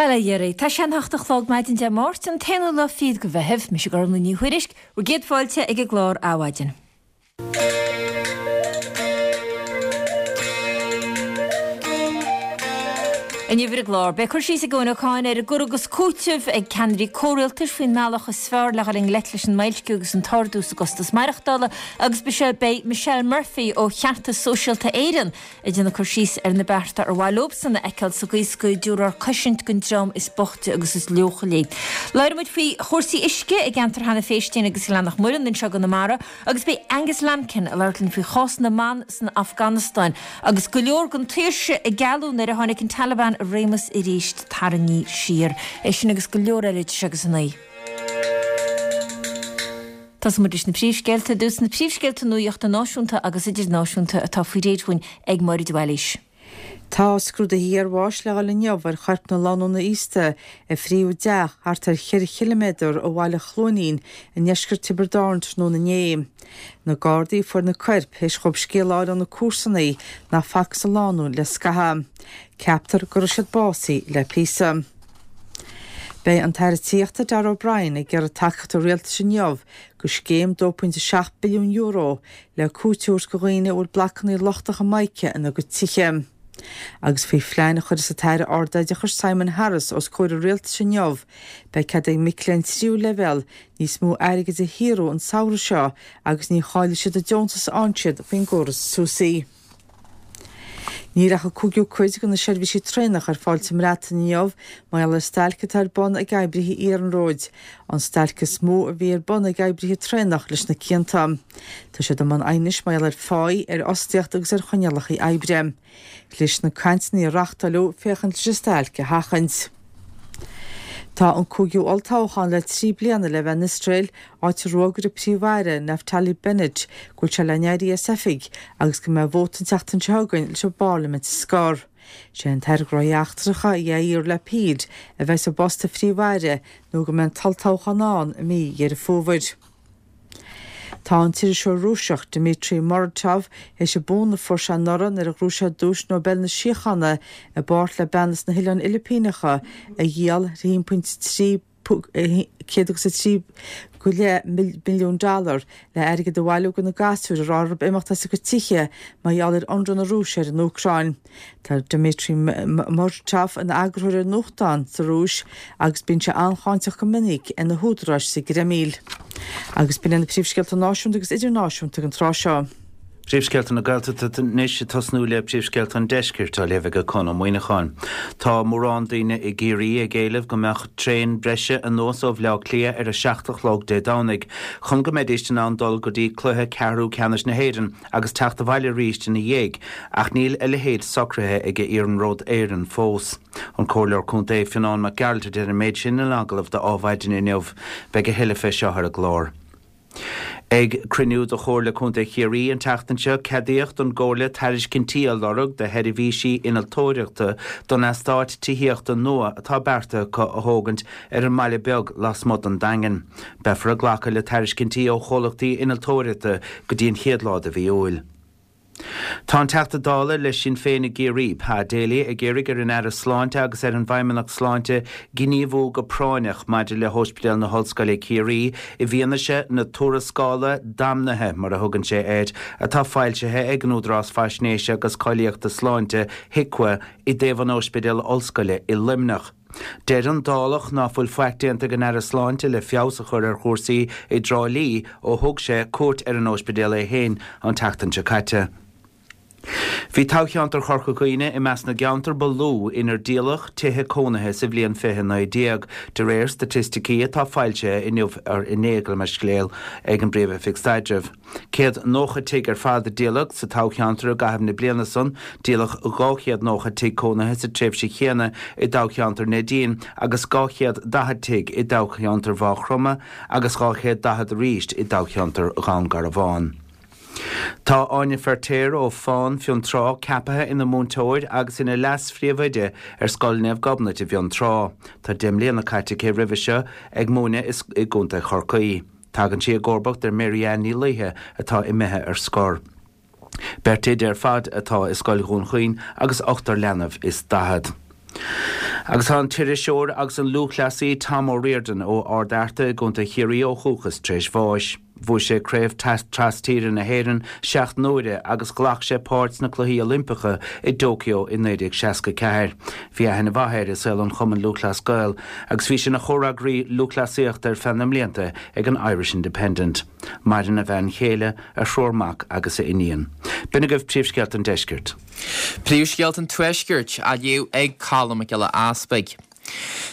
Bail ó Dhia oraibh. Tá sé an hocht a chlog maidin Dé Máirt, an t-aonú lá fichead de Mheitheamh. Mise Gormlaith Ní Thuairisg, bhur gcéad fáilte ag an gclár Adhmhaidin. Inniu ar an gclár, beidh cur síos ag Eoin Ó Cadhain ar an gcur agus cúiteamh ag ceannairí comhrialtais faoin mbealach is fearr le dhul i ngleic leis an mboilsciú agus an t-ardú sa gcostas maireachtála agus beidh Michelle Murphy ó Cheartas Sóisialta Éireann ag déanamh cur síos ar na bearta ar mhaith leobsan a fheiceáil sa gcaoi is go dtabharfar cosaint don dream is boichte agus is leochailí. Labhróidh muid faoi chúrsaí uisce i gceantar Hannah Phéistín agus Ghleann na Muireann anseo i gConamara agus beidh Angus Lambkin ag labhairt linn faoi chás na mban san Afganastáin agus go leor den tsaoirse a gealladh nuair a tháinig an Taliban i réimeas arís tarraingthe siar. É sin agus go leor eile idir seo agus a naoi. Tosóidh muid leis na príomhscéalta. Ar dtús, na príomhscéalta nuachta náisiúnta agus idirnáisiúnta atá faoi réir dhúinn ag Máire de Bhailís. Tá scrúduithe iarbháis le dhul inniu ar choirp na lánúna aosta a frítheadh i dteach thart ar cheithre chiliméadar ó bhaile Chluainín i ndeisceart Tiobraid Árann tráthnóna inné. Na Gardaí a fuair na coirp théis dhóibh scéal a fháil ó na comharsanaí nach facthas an lánúin le scaitheamh. Ceaptar go raibh siad básaithe le píosa. Beidh an tAire Tithíochta Darragh O'Brien ag iarraidh tacaíocht an Rialtais inniu do scéim €2.7 billiún le cúiteamh a thabhairt do dhaoine a bhfuil blocanna lochtacha mica ina gcuid tithe. Agus faoi phlean a chuirfeas an tAire Ardoideachais Simon Harris os comhair an Rialtais inniu, beidh cead ag mic léinn tríú leibhéal níos mó airgid a shaothrú an samhradh seo agus ní chaillfidh siad an deontas a fhaigheann siad faoin gcóras SUSI. Níl ach an cúigiú cuid de na seirbhísí traenach ar fáil sa mBreatain inniu mar gheall ar stailc atá ar bun ag oibrithe iarnróid, an stailc is mó a bhí ar bun ag oibrithe traenach leis na cianta. Tá siad i mbun aighnis mar gheall ar pháí, ar fhostaíocht agus ar choinníollacha oibre. Chlis na cainteanna a reachtáileadh féachaint leis an stailc a sheachaint. Tá an cúigiú olltoghchán le 3 bliana le bheith in Iosrael, áit a d'fhógair an Príomh-Aire, Naftali Bennett, go bhfuil sé le n-éirí as oifig agus go mbeidh vóta an tseachtain seo chugainn leis an bparlaimint a scor. Sé an tAire Gnóthaí Eachtracha, Yair Lapid, a bheas i bpost an Phríomh-Aire nó go mbeidh an t-olltoghchán ann i mí Dheireadh Fómhair. Tá an t-iriseoir Rúiseach Dmitry Muratov théis an bonn a fuair sé anuraidh nuair a ghnóthaigh sé Duais Nobel na Síochána i bpáirt le bean as na hOileáin Fhilipíneacha a dhíol ar 1.3 100 agus 3 go leith milliún dollar le airgead a bhailiú do na gasúir a raibh orthu imeacht as a gcuid tithe mar gheall ar ionradh na Rúise ar an Úcráin. Tá Dmitry Muratov ina eagarthóir ar nuachtán sa Rúis agus bíonn sé an-cháinteach go minic ar na húdaráis sa gCreimil. Agus b'in iad na príomhscéalta náisiúnta agus idirnáisiúnta ag an tráth seo. Príomhscéalta na Gaeltachta anois, ag tosnú le príomhscéalta an Deiscirt, á léamh ag Conn Ó Muíneacháin. Tá mórán daoine i gCiarraí ag éileamh go mbeadh traein breise anuas ó Bhleá Cliath ar a 7 a chlog Dé Domhnaigh chun go mbeidís in ann dul go dtí cluiche ceathrú ceannais na hÉireann agus teacht abhaile arís ina dhiaidh, ach níl a leithéid socraithe ag Iarnród Éireann fós. An Comhairleoir Contae Fionán Mac Gearailt a deir an méid sin in agallamh do Adhmhaidin inniu. Beidh a thuilleadh fé seo ar an gclár. Ag cruinniú de Chomhairle Contae Chiarraí an tseachtain seo, ceadaíodh don gComhairle tairiscintí a lorg do sheirbhísí innealtóireachta don eastát tithíochta nua atá beartaithe acu a thógaint ar an mBaile Beag lasmuigh den Daingean. Beifear ag glacadh le tairiscintí ó chomhlachtaí innealtóireachta go dtí an chéad lá de mhí Iúil. Tá an Teachta Dála le Sinn Féin i gCiarraí, Pa Daly, ag iarraidh ar an Aire Sláinte agus ar an bhFeidhmeannacht Sláinte gníomhú go práinneach maidir le hOspidéal na hOllscoile Ciarraí i bhfianaise na tuarascála damnaithe, mar a thugann sé air, atá foilsithe ag an Údarás Faisnéise agus Cáilíochta Sláinte, HIQA, i dtaobh an Ospidéil Ollscoile i Luimneach. Deir an Dálach ná fuil faic déanta ag an Aire Sláinte le feabhas a chur ar chúrsaí i dTrá Lí ó thug sé cuairt ar an óispidéal é féin an tseachtain seo caite. Bhí toghcheantar Chorca Dhuibhne i measc na gceantar ba lú inar díoladh tithe cónaithe sa bhliain 2019, de réir staitisticí atá foilsithe inniu, inné, gabh mo leithscéal, ag an bPríomh-Oifig Staidrimh. 190 tigh ar fad a díoladh sa toghcheantar i gcaitheamh na bliana san, díoladh 290 tigh cónaithe sa tréimhse chéanna i dtoghcheantar Neidín agus 240 tigh i dtoghcheantar Mhaigh Chromtha agus 240 arís i dtoghcheantar Dhún Garbhán. Tá Áine Feirtéar ó Fán, Fionntrá, ceaptha ina múinteoir agus ina leas-phríomhoide ar Scoil Naomh Gobnait i bhFionntrá. Tá 10 mbliana caite aici roimhe seo ag múineadh i gContae Chorcaí. Tagann sí i gcomharbacht ar Mary Ann Ní Laoithe atá imithe ar scor. Beirt oide ar fad atá i Scoil Dhún Chaoin agus ochtar leanbh is 40. Agus tá an t-iriseoir agus an lúthchleasaí Tom O'Riordan ó Ard Fhearta i gContae Chiarraí ó dhúchas tar éis bháis. Bhuaigh sé Craobh Tras-Tíre na hÉireann 7 n-uaire agus ghlac sé páirt sna Cluichí Oilimpeacha i dTóiceo i 1964. Bhí aithne mhaith air i saol an Chumainn Lúthchleas Gael agus bhí sé ina chomhfhreagraí lúthchleasaíochta ar feadh na mblianta ag an Irish Independent. Maireann a bhean chéile, a thriúr mac agus a iníon. B'in agaibh príomhscéalta an deiscirt. Príomhscéalta an Tuaiscirt á léamh ag Colm Mac Giolla Easpaig.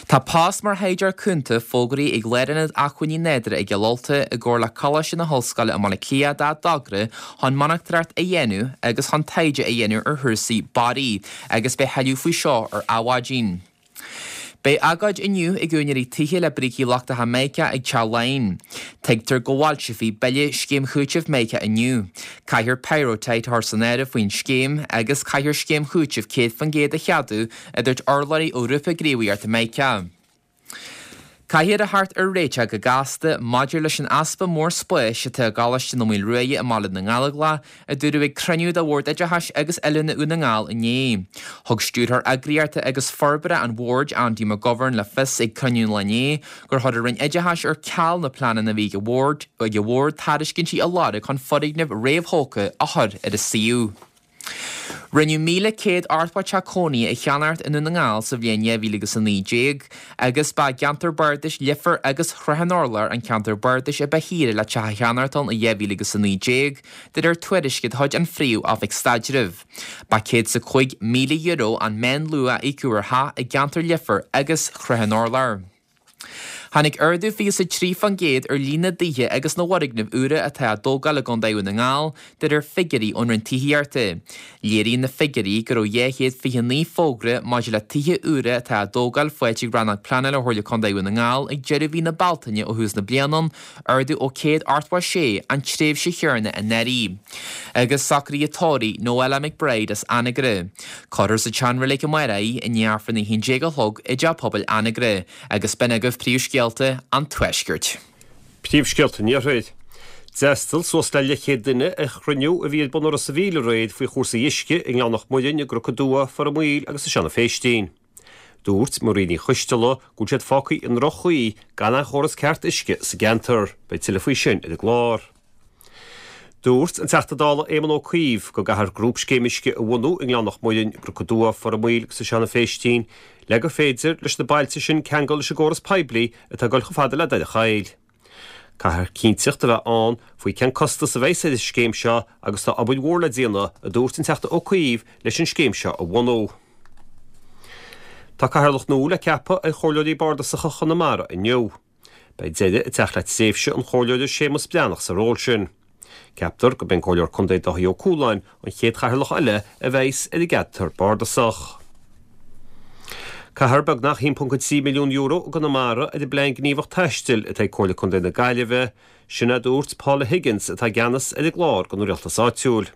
Tá post mar thaighdeoir cúnta fógraithe ag Lárionad Acmhainní Nádúrtha i gCill Ulta i gcomhar le Coláiste na hOllscoile i mBaile Átha Cliath dá dtogra chun monatóireacht a dhéanamh agus chun taighde a dhéanamh ar chúrsaí barraí agus beidh tuilleadh faoi seo ar Adhmhaidin. Beidh agóid inniu ag úinéirí tithe le brící lochtacha Mica ag Teach Laighean. Tuigtear go bhfoilseofaí bille Scéim Chúitimh Mica inniu. Caithfear pyrrhotite a chur san áireamh faoin scéim agus caithfear scéim chúitimh 100% a cheadú, a dúirt urlabhraí ó Ghrúpa Gníomhaíochta Mica. Caithfear a theacht ar réiteach go gasta maidir leis an easpa mór spáis atá i gColáiste na Maoile Ruaidhe i mBaile na nGallóglach, a dúradh ag cruinniú de Bhord Oideachais agus Oiliúna Dhún na nGall inné. Thug Stiúrthóir Eagraíochta agus Forbartha an Bhoird, Andy McGovern, le fios ag cruinniú an lae inné gur chuir an Roinn Oideachais ar ceal na pleananna a bhí ag an Bhord ag an Bhord tairiscintí a lorg chun foirgnimh réamhthógtha a chur ar an suíomh. Rinneadh 1,180 teach cónaithe a cheannacht i nDún na nGall sa bhliain 2019 agus ba i gceantar bardais Leifear agus Shrath an Urláir an ceantar bardais a ba shaoire le teach a cheannacht ann i 2019, de réir tuairisce de chuid an Phríomh-Oifig Staidrimh. Ba €105,000 an meánluach a íocadh ar theach i gceantar Leifear agus Shrath an Urláir. Tháinig ardú 23% ar líon na dtithe agus na bhfoirgneamh úra atá á dtógáil i gContae Dhún na nGall, de réir figiúirí ón Roinn Tithíochta. Léiríonn na figiúirí go raibh 229 fógra maidir le tithe úra atá á dtógáil faighte ag Rannóg Pleanála Chomhairle Contae Dhún na nGall ag deireadh mhí na Bealtaine ó thús na bliana, ardú ó 186 an tréimhse chéanna anuraidh. Agus socruithe tórraimh Noella McBride as Anagaire. Cuirfear sa tseanreilig amárach í i ndiaidh Aifreann a 11 a chlog i dTeach Pobail Anagaire agus b'in agaibh príomhscéalta an Tuaiscirt. Príomhscéalta an Iarthair. D'fhreastail suas le leathchéad duine ar chruinniú a bhí ar bun i Ros a' Mhíl aréir faoi chúrsaí uisce i nGleann Mhac Muirinn, i gCnoc an Dua, Phort an Mhaoil agus i Seanadh Phéistín. Dúirt Marie Ní Choisteala go bhfuil siad fágtha i ndroch-chaoi gan aon chóras ceart uisce sa gceantar. Beidh tuilleadh faoi sin ar an gclár. Dúirt an Teachta Dála Éamon Ó Cuív go gcaithfear grúpscéim uisce a bhunú i nGleann Mhac Muirinn, i gCnoc an Dua, Phort an Mhaoil agus i Seanadh Phéistín le gur féidir leis na bailte sin ceangal leis an gcóras poiblí atá ag dul chomh fada le Doire Chaill. Caithfear cinnteacht a bheith ann faoi cén costas a bheas ar an scéim seo agus tá obair mhór le déanamh, a dúirt an Teachta Ó Cuív, leis an scéim seo a bhunú. Tá cathaoirleach nua le ceapadh ar Chomhairleoirí Bardasacha Chonamara inniu. Beidh deireadh ag teacht le tréimhse an Chomhairleora Séamus Breathnach sa ról sin. Ceaptar gurb é an Comhairleoir Contae Dáithí Ó Cualáin an chéad chathaoirleach eile a bheas ar an gceantar bardasach. Caithfear beagnach €1.3 milliún i gConamara ar an bPlean Gníomhach Taistil atá ag Comhairle Contae na Gaillimhe, sin a dúirt Paula Higgins atá i gceannas ar an gclár don rialtas áitiúil.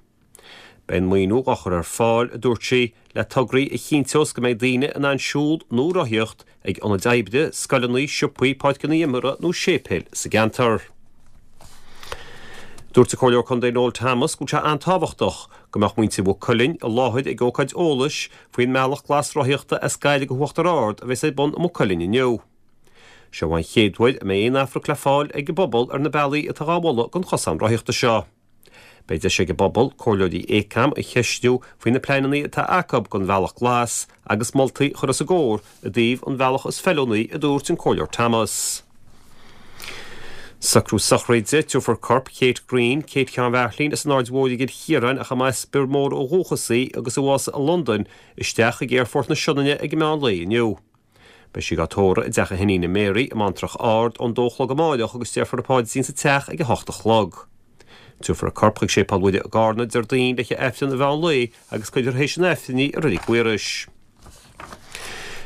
Beidh an maoiniú á chur ar fáil, a dúirt sí, le tograí a chinnteos go mbeidh daoine in ann siúl nó rothaíocht ag ionaid oibre, scoileanna, siopaí, páirceanna imeartha nó séipéil sa gceantar. Dúirt an Comhairleoir Contae Noel Thomas go bhfuil sé an-tábhachtach go mbeadh muintir Mhaigh Cuilinn i láthair ag ócáid eolais faoin mbealach glas rothaíochta as Gaillimh go hUachtar Ard a bheas ar bun i Maigh Cuilinn inniu. Seo an chéad uair a mbeidh aon afraic le fáil ag an bpobal ar na bealaí atá dhá mholadh don chosán rothaíochta seo. Beidh deis ag an bpobal comhairleoirí Acam a cheistiú faoi na pleananna atá acu don bhealach glas agus moltaí a chur os a gcomhair i dtaobh an bhealach is feiliúnaí, a dúirt an Comhairleoir Thomas. Socrú sochraide, Tabharfar corp Kate Greene, Kate Sheáin Bheairtlín as an Aird Mhóir i gCill Chiaráin ach a mba as Bior Mór ó dhúchas í agus a bhásaigh i Londain, isteach chuig Aerfort na Sionainne ag an meán lae inniu. Beidh sí dhá tórramh i dteach a hiníne Mary i mBantrach Ard ón dó a chlog amáireach agus déarfar an paidrín sa teach ag a hocht a chlog. Tabharfar a corp chuig Séipéal Mhuire i gCarna Déardaoin le haghaidh Aifreann an mheán lae agus cuirfear théis an Aifrinn í i Reilig Mhaorais.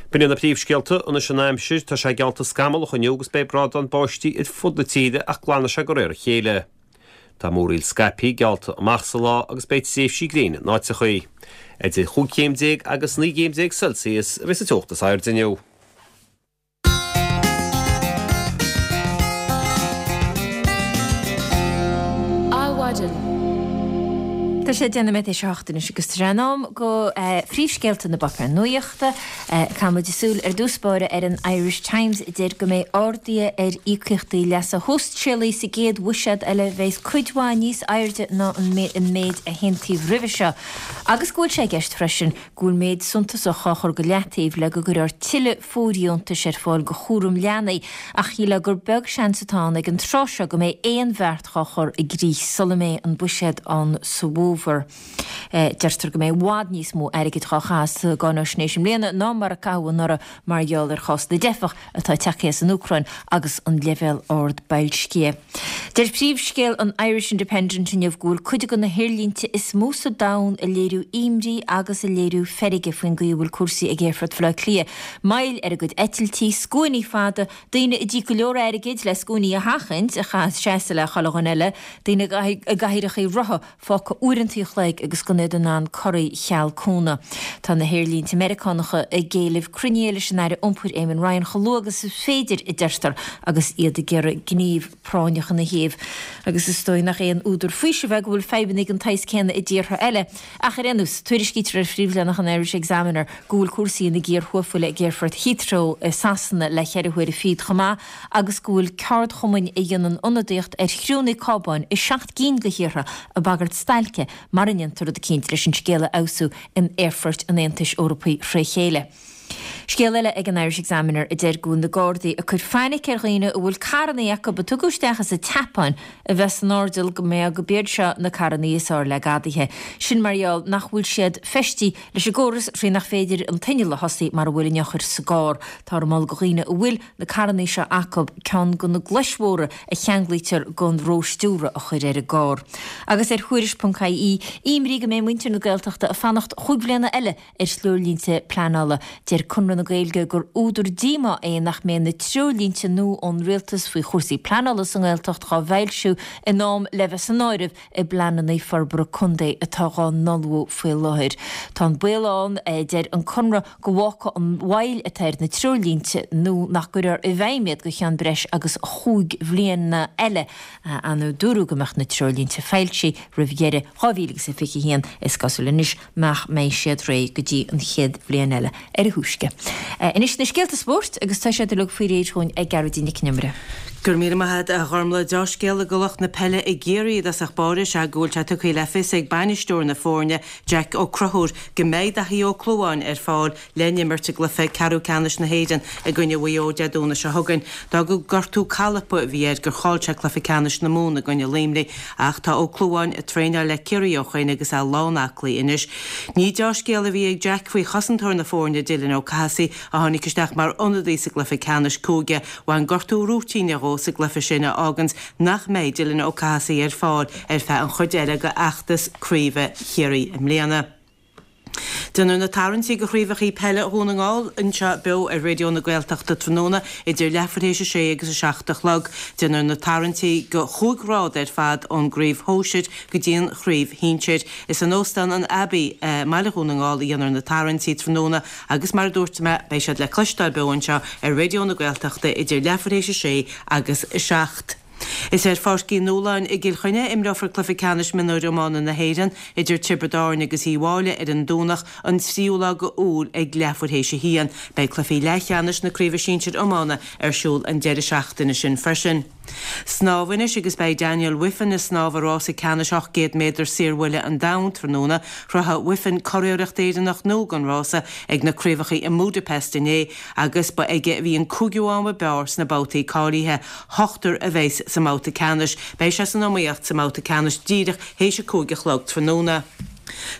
B'in iad na príomhscéalta anois an aimsir. Tá sé geallta scamallach inniu agus beidh brádán báistí ar fud na tíre ach glanfaidh sé de réir a chéile. Tá múraíl scaipthe geallta amach sa lá agus beidh tréimhsí gréine in áiteachaí. Idir chúig chéim déag agus 19 gcéim Celsius a bheas an teocht is airde inniu. Adhmhaidin. Tá sé 10 nóiméad théis a hocht anois agus tá sé in am go phríomhscéalta na bpáipéar nuachta. Caithfidh muid súil ar dtús báire ar an Irish Times a deir go mbeidh arduithe ar íocaíochtaí leasa shóisialaigh sa gcéad bhuiséad eile a bheas cuid mhaith níos airde ná an méid a haontaíodh roimhe seo agus go bhfuil sé i gceist freisin go bhfuil méid suntasach á chur go leataobh le go gcuirfear tuilleadh fóirdheontais ar fáil go chúram leanaí ach shílfeá gur beag seans atá ann ag an tráth seo go mbeidh aon bheart dhá chur i gcrích sula mbeidh an buiséad ann sa bhfómhar. Deirtear go mbeidh i bhfad níos mó airgid dhá chaitheamh sa gcáinaisnéis i mbliana ná mar a caitheadh anuraidh mar gheall ar chás na dteifeach atá tagtha as an Úcráin agus an leibhéal ard boilscithe. Deir príomhscéal an Irish Independent inniu go bhfuil cuid de na haerlínte is mó sa domhan ag léiriú imní agus ag léiriú feirge faoin gcaoi a bhfuil cúrsaí ag Aerfort Bhaile Átha Cliath. Moill ar a gcuid eitiltí, scuainí fada, daoine a d'íoc go leor airgid le scuainí a sheachaint, a chaithfeas seasamh le chuile dhuine eile, daoine i gcathaoireacha rotha fágtha uaireanta an chloig agus gan iad in ann corraí cheal cúnamh. Tá na haerlínte Meiriceánacha ag éileamh cruinnithe leis an Aire Iompair Eamon Ryan chomh luath agus is féidir, a deirtear, agus iad ag iarraidh gníomh práinneach ina thaobh. Agus is dóigh nach aon údar faoisimh é go bhfuil fadhbanna den tsaghas céanna i dtíortha eile. Ach ar aon nós, tuairiscítear ar phríomhleathanach an Irish Examiner go bhfuil cúrsaí ina gcíor thuathbhuile ag aerfort Heathrow i Sasana le cheithre huaire fichead chomh maith agus go bhfuil ceardchumainn a dhéanann ionadaíocht ar chriúnna cábáin i seacht gcinn de thíortha ag bagairt stailce mara ndéantar rud eicínt leis an scéal a fheabhsú in aerfoirt an Aontais Eorpaigh fré chéile. Scéal eile ag an Irish Examiner a deir go bhfuil na Gardaí ag cur fainic ar dhaoine a bhfuil carrannaí acu a tugadh isteach as an tSeapáin a bheith san airdeall go mbeadh go b'iad seo na carrannaí is fearr le gadaithe. Sin mar gheall nach bhfuil siad feistí leis an gcóras thrí nach féidir an t-inneall a thosaí mara bhfuil an eochair sa gcarr. Táthar ag moladh go dhaoine a bhfuil na carrannaí seo acu ceann de na glais mhóra a cheanglaítear don róstiúradh a chur ar an gcarr. Agus ar Thuairisc.ie, imní go mbeidh muintir na Gaeltachta ag fanacht chúig bhliana eile ar threoirlínte pleanála. Deir Conradh na Gaeilge gur údar díomá é nach mbeidh na treoirlínte nua ón Rialtas faoi chúrsaí pleanála sa nGaeltacht dhá bhfoilsiú in am le bheith san áireamh i bpleananna forbartha contae atá dhá n-ullmhú faoi láthair. Tá an baol ann, a deir an Conradh, go bhfágfaidh an mhoill atá ar na treoirlínte nua nach gcuirfear i bhfeidhm iad go cheann breis agus chúig bhliana eile. Anuraidh dúradh go mbeadh na treoirlínte foilsithe roimh dheireadh 2021, is cosúil anois nach mbeidh siad réidh go dtí an chéad bhliain eile ar a thúisce. Anois na scéalta spóirt agus tá siad uilig faoi réir dhúinn ag Gearóidín Nic Con Iomaire. Go raibh míle maith agat a Ghormlaith. Deá-scéala go lucht na peile i gCiarraí i dtosach báire is ea go bhfuil sé tugtha le fios ag bainisteoir na foirne, Jack Ó Conchúir, go mbeidh Daithí Ó Clúmháin ar fáil le n-imirt i gcluiche ceathrú ceannais na hÉireann i gcoinne Mhaigh Eo Dé Domhnaigh seo chugainn. D'fhág gortú calpa a bhí air gur chaill sé cluiche ceannais na Mumhan i gcoinne Luimnigh Ach tá Ó Clúmháin ag traenáil le Ciarraí ó shoin agus é lán-aclaí anois. Ní deá-scéal a bhí ag Jack faoi chosantóir na foirne, Dylan Ó Cathasaigh, a tháinig isteach mar ionadaí sa gcluiche ceannais cúige. Bhain gortú rúitíne dhó sa gcluiche sin a fháganns nach mbeidh Dylan Ó Cathasaigh ar fáil ar feadh an chuid eile de fheachtas craoibhe Chiarraí i mbliana. Déanfar na tarraingtí do chraobhacha peile Dhún na nGall anseo beo ar Raidió na Gaeltachta tráthnóna idir leathuair théis a sé agus a 7 a chlog. Déanfar na tarraingtí do chúig ghrád ar fad ón gcraobh shóisir go dtí an chraobh shinsir. Is in Óstán an Abbey i mbaile Dhún na nGall a dhéanfar na tarraingtí tráthnóna agus mar a dúirt mé beidh siad le cloisteáil beo anseo ar Raidió na Gaeltachta idir leathuair théis a sé agus a 7. Is ar Pháirc Uí Nualláin i gCill Chainnigh a imreofar cluiche ceannais mionúir iomána na hÉireann idir Tiobraid Árann agus Uíbh Fháilí ar an Domhnach an tríú lá de Iúil ag leathuair théis a haon. Beidh cluichí leathcheannais na Craoibhe Sinsir Iomána ar siúl an deireadh seachtaine sin freisin. Snámh anois agus beidh Daniel Wiffen ag snámh i rása ceannais 800 méadar saorbhuille an domhain tráthnóna. Chruthaigh Wiffen curiarracht Éireannach nua don rása ag na craobhacha i mBudapest inné agus ba aige a bhí an cúigiú am ab fhearr sna babhtaí cáilithe. Ochtar a bheas sa mbabhta ceannais. Beidh sé san iomaíocht sa mbabhta ceannais díreach théis a 5 a chlog tráthnóna.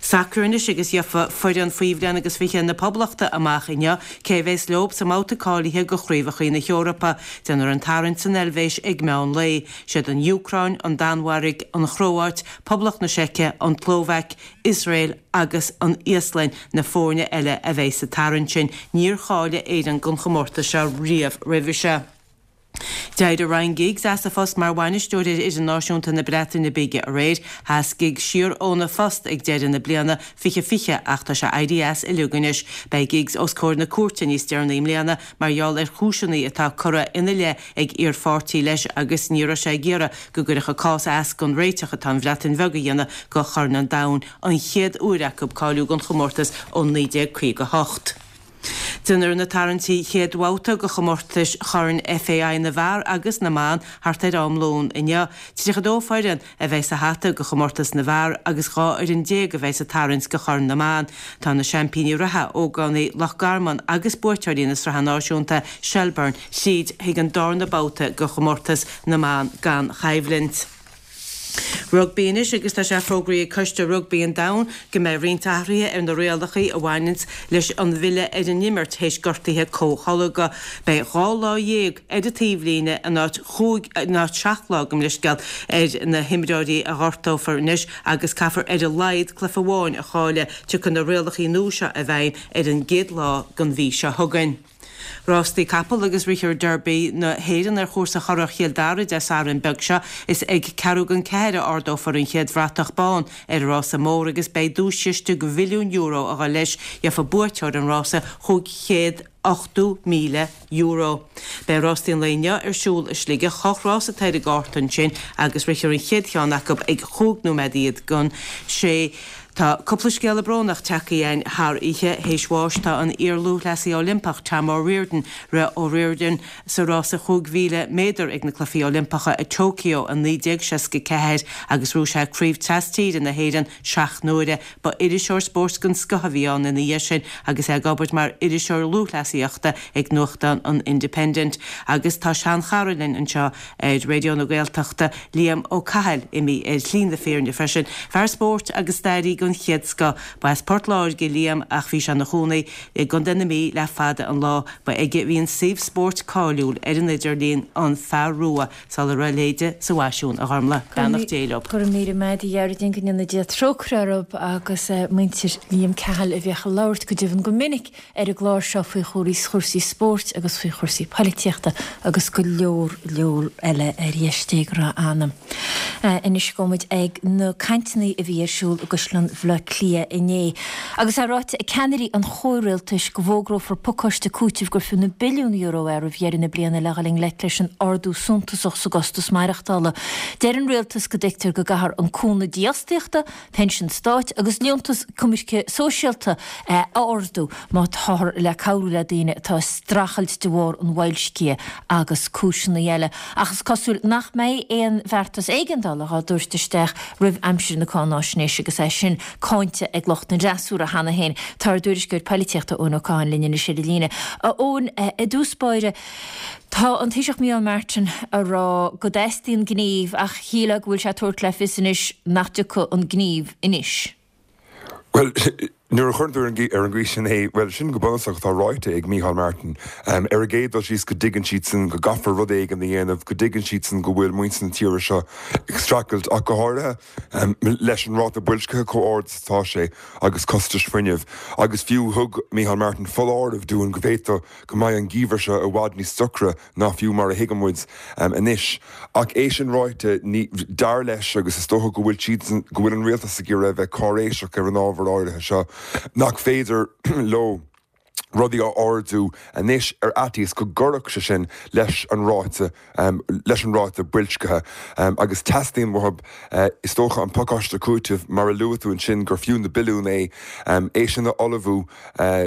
Sacar anois agus gheofa foireann faoi bhliain agus 20 na Poblachta amach inniu cé a bheas leo sa mbabhta cáilithe do Chraobhacha na hEorpa. Déanfar an tarraingt san Eilvéis ag meán lae. Siad an Úcráin, an Danmhairg, an Chróáit, Poblacht na Seice, an tSlóvaic, Iosrael agus an Íoslainn na foirne eile a bheidh sa tarraingt sin. Níor cháiligh Éirinn don chomórtas seo riamh roimhe seo. D'éirigh Ryan Giggs as a phost mar bhainisteoir ar fhoireann náisiúnta na Breataine Bige aréir. Sheas Giggs siar óna phost ag deireadh na bliana 2020 ach tá sé éirithe as uilig anois. Beidh Giggs os comhair na cúirte níos deireanaí i mbliana mar gheall ar chúiseanna atá curtha ina leith ag iarpháirtí leis agus ní raibh sé ag iarraidh go gcuirfeadh a cás as don réiteach atá an Bhreatain Bheag a dhéanamh go Chorn an Domhain, an chéad uair acu cáiliú don chomórtas ó 1958. Déanfar na tarraingtí chéad bhabhta do chomórtais Chorn FAI na bhfear agus na mban thart ar am lóin inniu. 32 foireann a bheidh sa hata do chomórtas na bhfear agus 12 fhoireann a bheidh sa tarraingt do Chorn na mBan. Tá na seaimpíní reatha, ógánaigh Loch Garman agus buaiteoirí na Sraithe Náisiúnta, Shelbourne, tríd chuig an darna babhta de chomórtas na mban gan choimhlint. Rugbaí anois agus tá sé fógraithe ag Coiste Rugbaí an Domhain go mbeidh roinnt athruithe ar na rialacha a bhaineanns leis an bhfilleadh ar an imirt théis gortuithe comhtholgtha. Beidh 12 lá ar an taobhlíne in áit chúig, in áit 7 lá gabh mo leithscéal, ar na himreoirí a ghortófar anois agus caithfear ar a laghad cluiche amháin a chailleadh. Tiocfaidh na rialacha nua seo i bhfeidhm ar an gcéad lá den mhí seo chugainn. Rástaí capall agus rithfear Derby na hÉireann ar chúrsa Churrach Chill Dara Dé Sathairn beag seo. Is ag ceathrú don ceathair a ardófar an chéad bhratach bán ar an rása mór agus beidh duaischiste de mhilliún euro a dhul leis. Gheobhaidh buaiteoir an rása €580,000. Beidh rástaí an lae inniu ar siúl i Sligeach. Ocht rás atá ar an gcárta ansin agus rithfear an chéad cheann acu ag chúig nóiméad iad don sé. Tá cúpla scéala brónach tagtha chugainn thar oíche. Théis bháis tá an iar-lúthchleasaí Oilimpeach Tom O'Riordan. Rith O'Riordan sa rása 5,000 méadar ag na Cluichí Oilimpeacha i Tokyo i 1964 agus ghnóthaigh sé Craobh Tras-Tíre na hÉireann seacht n-uaire. Ba iriseoir spóirt den scoth a bhí ann ina dhiaidh sin agus é ag obair mar iriseoir lúthchleasaíochta ag nuachtán an Independent. Agus tá sean-chara linn anseo ar Raidió na Gaeltachta, Liam Ó Cathail, imithe ar shlí na fírinne freisin. Fear spóirt agus stairí den chéad scoth. Ba as Port Láirge Liam ach bhí sé ina chónaí i gContae na Mí le fada an lá. Ba aige a bhí an suíomh spóirt cáiliúil ar an idirlíon, An Fear Rua, sula raibh a leithéide sa bhfaisiún, a Ghormlaith. Beannacht Dé leo. Go raibh míle maith agat a Ghearóidín, go ndéana Dia trócaire orthu agus muintir Liam Cahill a bhíodh ag labhairt go deimhin go minic ar an gclár seo faoi chúrsaí spóirt agus faoi chúrsaí poilitíochta agus go leor leor eile ar dheis Dé go raibh a anam. Anois gabhfaidh muid ag na cainteanna a bhí ar siúl i gCaisleán Bhaile Átha Cliath inné. Agus é ráite ag ceannairí an chomhrialtais go bhfógrófar pacáiste cúitimh gur fiú na billiúin euro é roimh dheireadh na bliana le dhul i ngleic leis an ardú suntasach sa gcostas maireachtála. Deir an rialtas go dtuigtear go gcaithfear an cúnamh dífhostaíochta, pinsean stáit agus liúntas coimirce sóisialta a ardú má táthar le cabhrú le daoine atá ag streachailt de bharr an bhoilscithe agus cúiseanna eile. Ach is cosúil nach mbeidh aon bheartas éigeandála á dtabhairt isteach roimh aimsir na cáináisnéise agus é sin cáinte ag lucht an fhreasúra cheana féin. Tá ár dtuairisceoir poilitíochta Eoin Ó Catháin linn anois ar an líne. A Eoin, i dtús báire, Tá an Taoiseach Micheál Martin a rá go dteastaíonn gníomh ach shílfeá go bhfuil sé ag tabhairt le fios anois nach dtiocfaidh an gníomh anois. Bhuel, nuair a chuireann tú ar an gcaoi sin é, bhuel, sin go bunúsach atá ráite ag Micheál Martin. Ar an gcéad dul síos go dtuigeann siadsan go gcaithfear rud éigin a dhéanamh, go dtuigeann siadsan go bhfuil muintir na tíre seo ag streachailt ach go háirithe leis an ráta boilscithe chomh ard is atá sé agus costais fuinnimh. Agus fiú thug Micheál Martin foláireamh dúinn go bhféadfadh go mbeidh an geimhreadh seo i bhfad níos ocra ná fiú mar a thuigeann muid anois. Ach é sin ráite, ní, dar leis, agus is dócha go bhfuil siadsan, go bhfuil an rialtas ag iarraidh a bheith cáiréiseach ar an ábhar áirithe seo, nach féidir leo rudaí a ardú anois ar fhaitíos go gcuirfeadh sé sin leis an ráite leis an ráta boilscithe agus teastaíonn uathu, is dócha, an pacáiste cúitimh, mar a luaigh tú ansin, gur fiú na billiúin é, é sin a ullmhú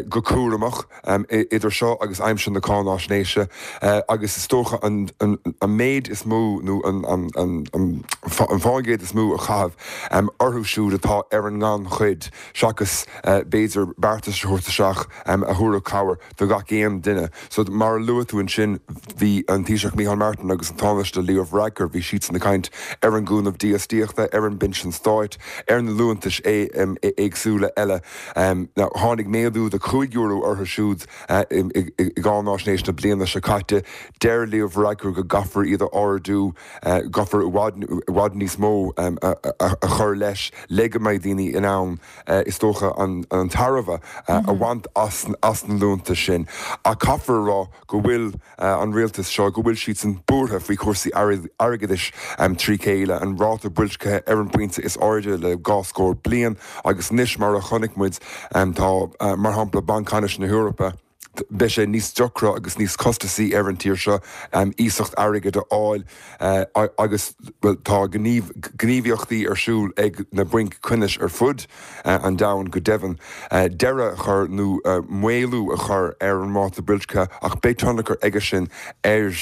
go cúramach idir seo agus aimsir na cáináisnéise agus is dócha an méid is mó nó an fán gcéad is mó a chaitheamh orthu siúd atá ar an ngannchuid seachas b'fhéidir beartais a thabhairt isteach a thabharfadh cabhair do gach aon duine. So, mar a luaigh tú ansin, bhí an Taoiseach Micheál Martin agus an Tánaiste Leo Varadkar, bhí siadsan ag caint ar an gcúnamh dífhostaíochta, ar an bpinsean stáit, ar na liúntais éagsúla eile. Now, tháinig méadú de €5 orthu siúd i gcáináisnéis na bliana seo caite. Deir Leo Varadkar go gcaithfear iad a ardú, gcaithfear i bhfad níos mó a chur leis le go mbeidh daoine in ann, is dócha, an tairbhe a bhaint as. as na liúntais sin. Ach caithfear a rá go bhfuil an rialtas seo, go bhfuil siadsan buartha faoi chúrsaí airgeadais trí chéile, an ráta boilscithe ar an bpointe is airde le dhá scór bliain agus anois mar a chonaic muid tá, mar shampla, Banc Ceannais na hEorpa, beidh sé níos deacra agus níos costasaí ar an tír seo iasacht airgid a fháil agus, bhuel, tá gníomhaíochtaí ar siúl ag na bainc ceannais ar fud an domhain go deimhin, deireadh a chur nó maolú a chur ar an ráta boilscithe ach beidh tionchar aige sin ar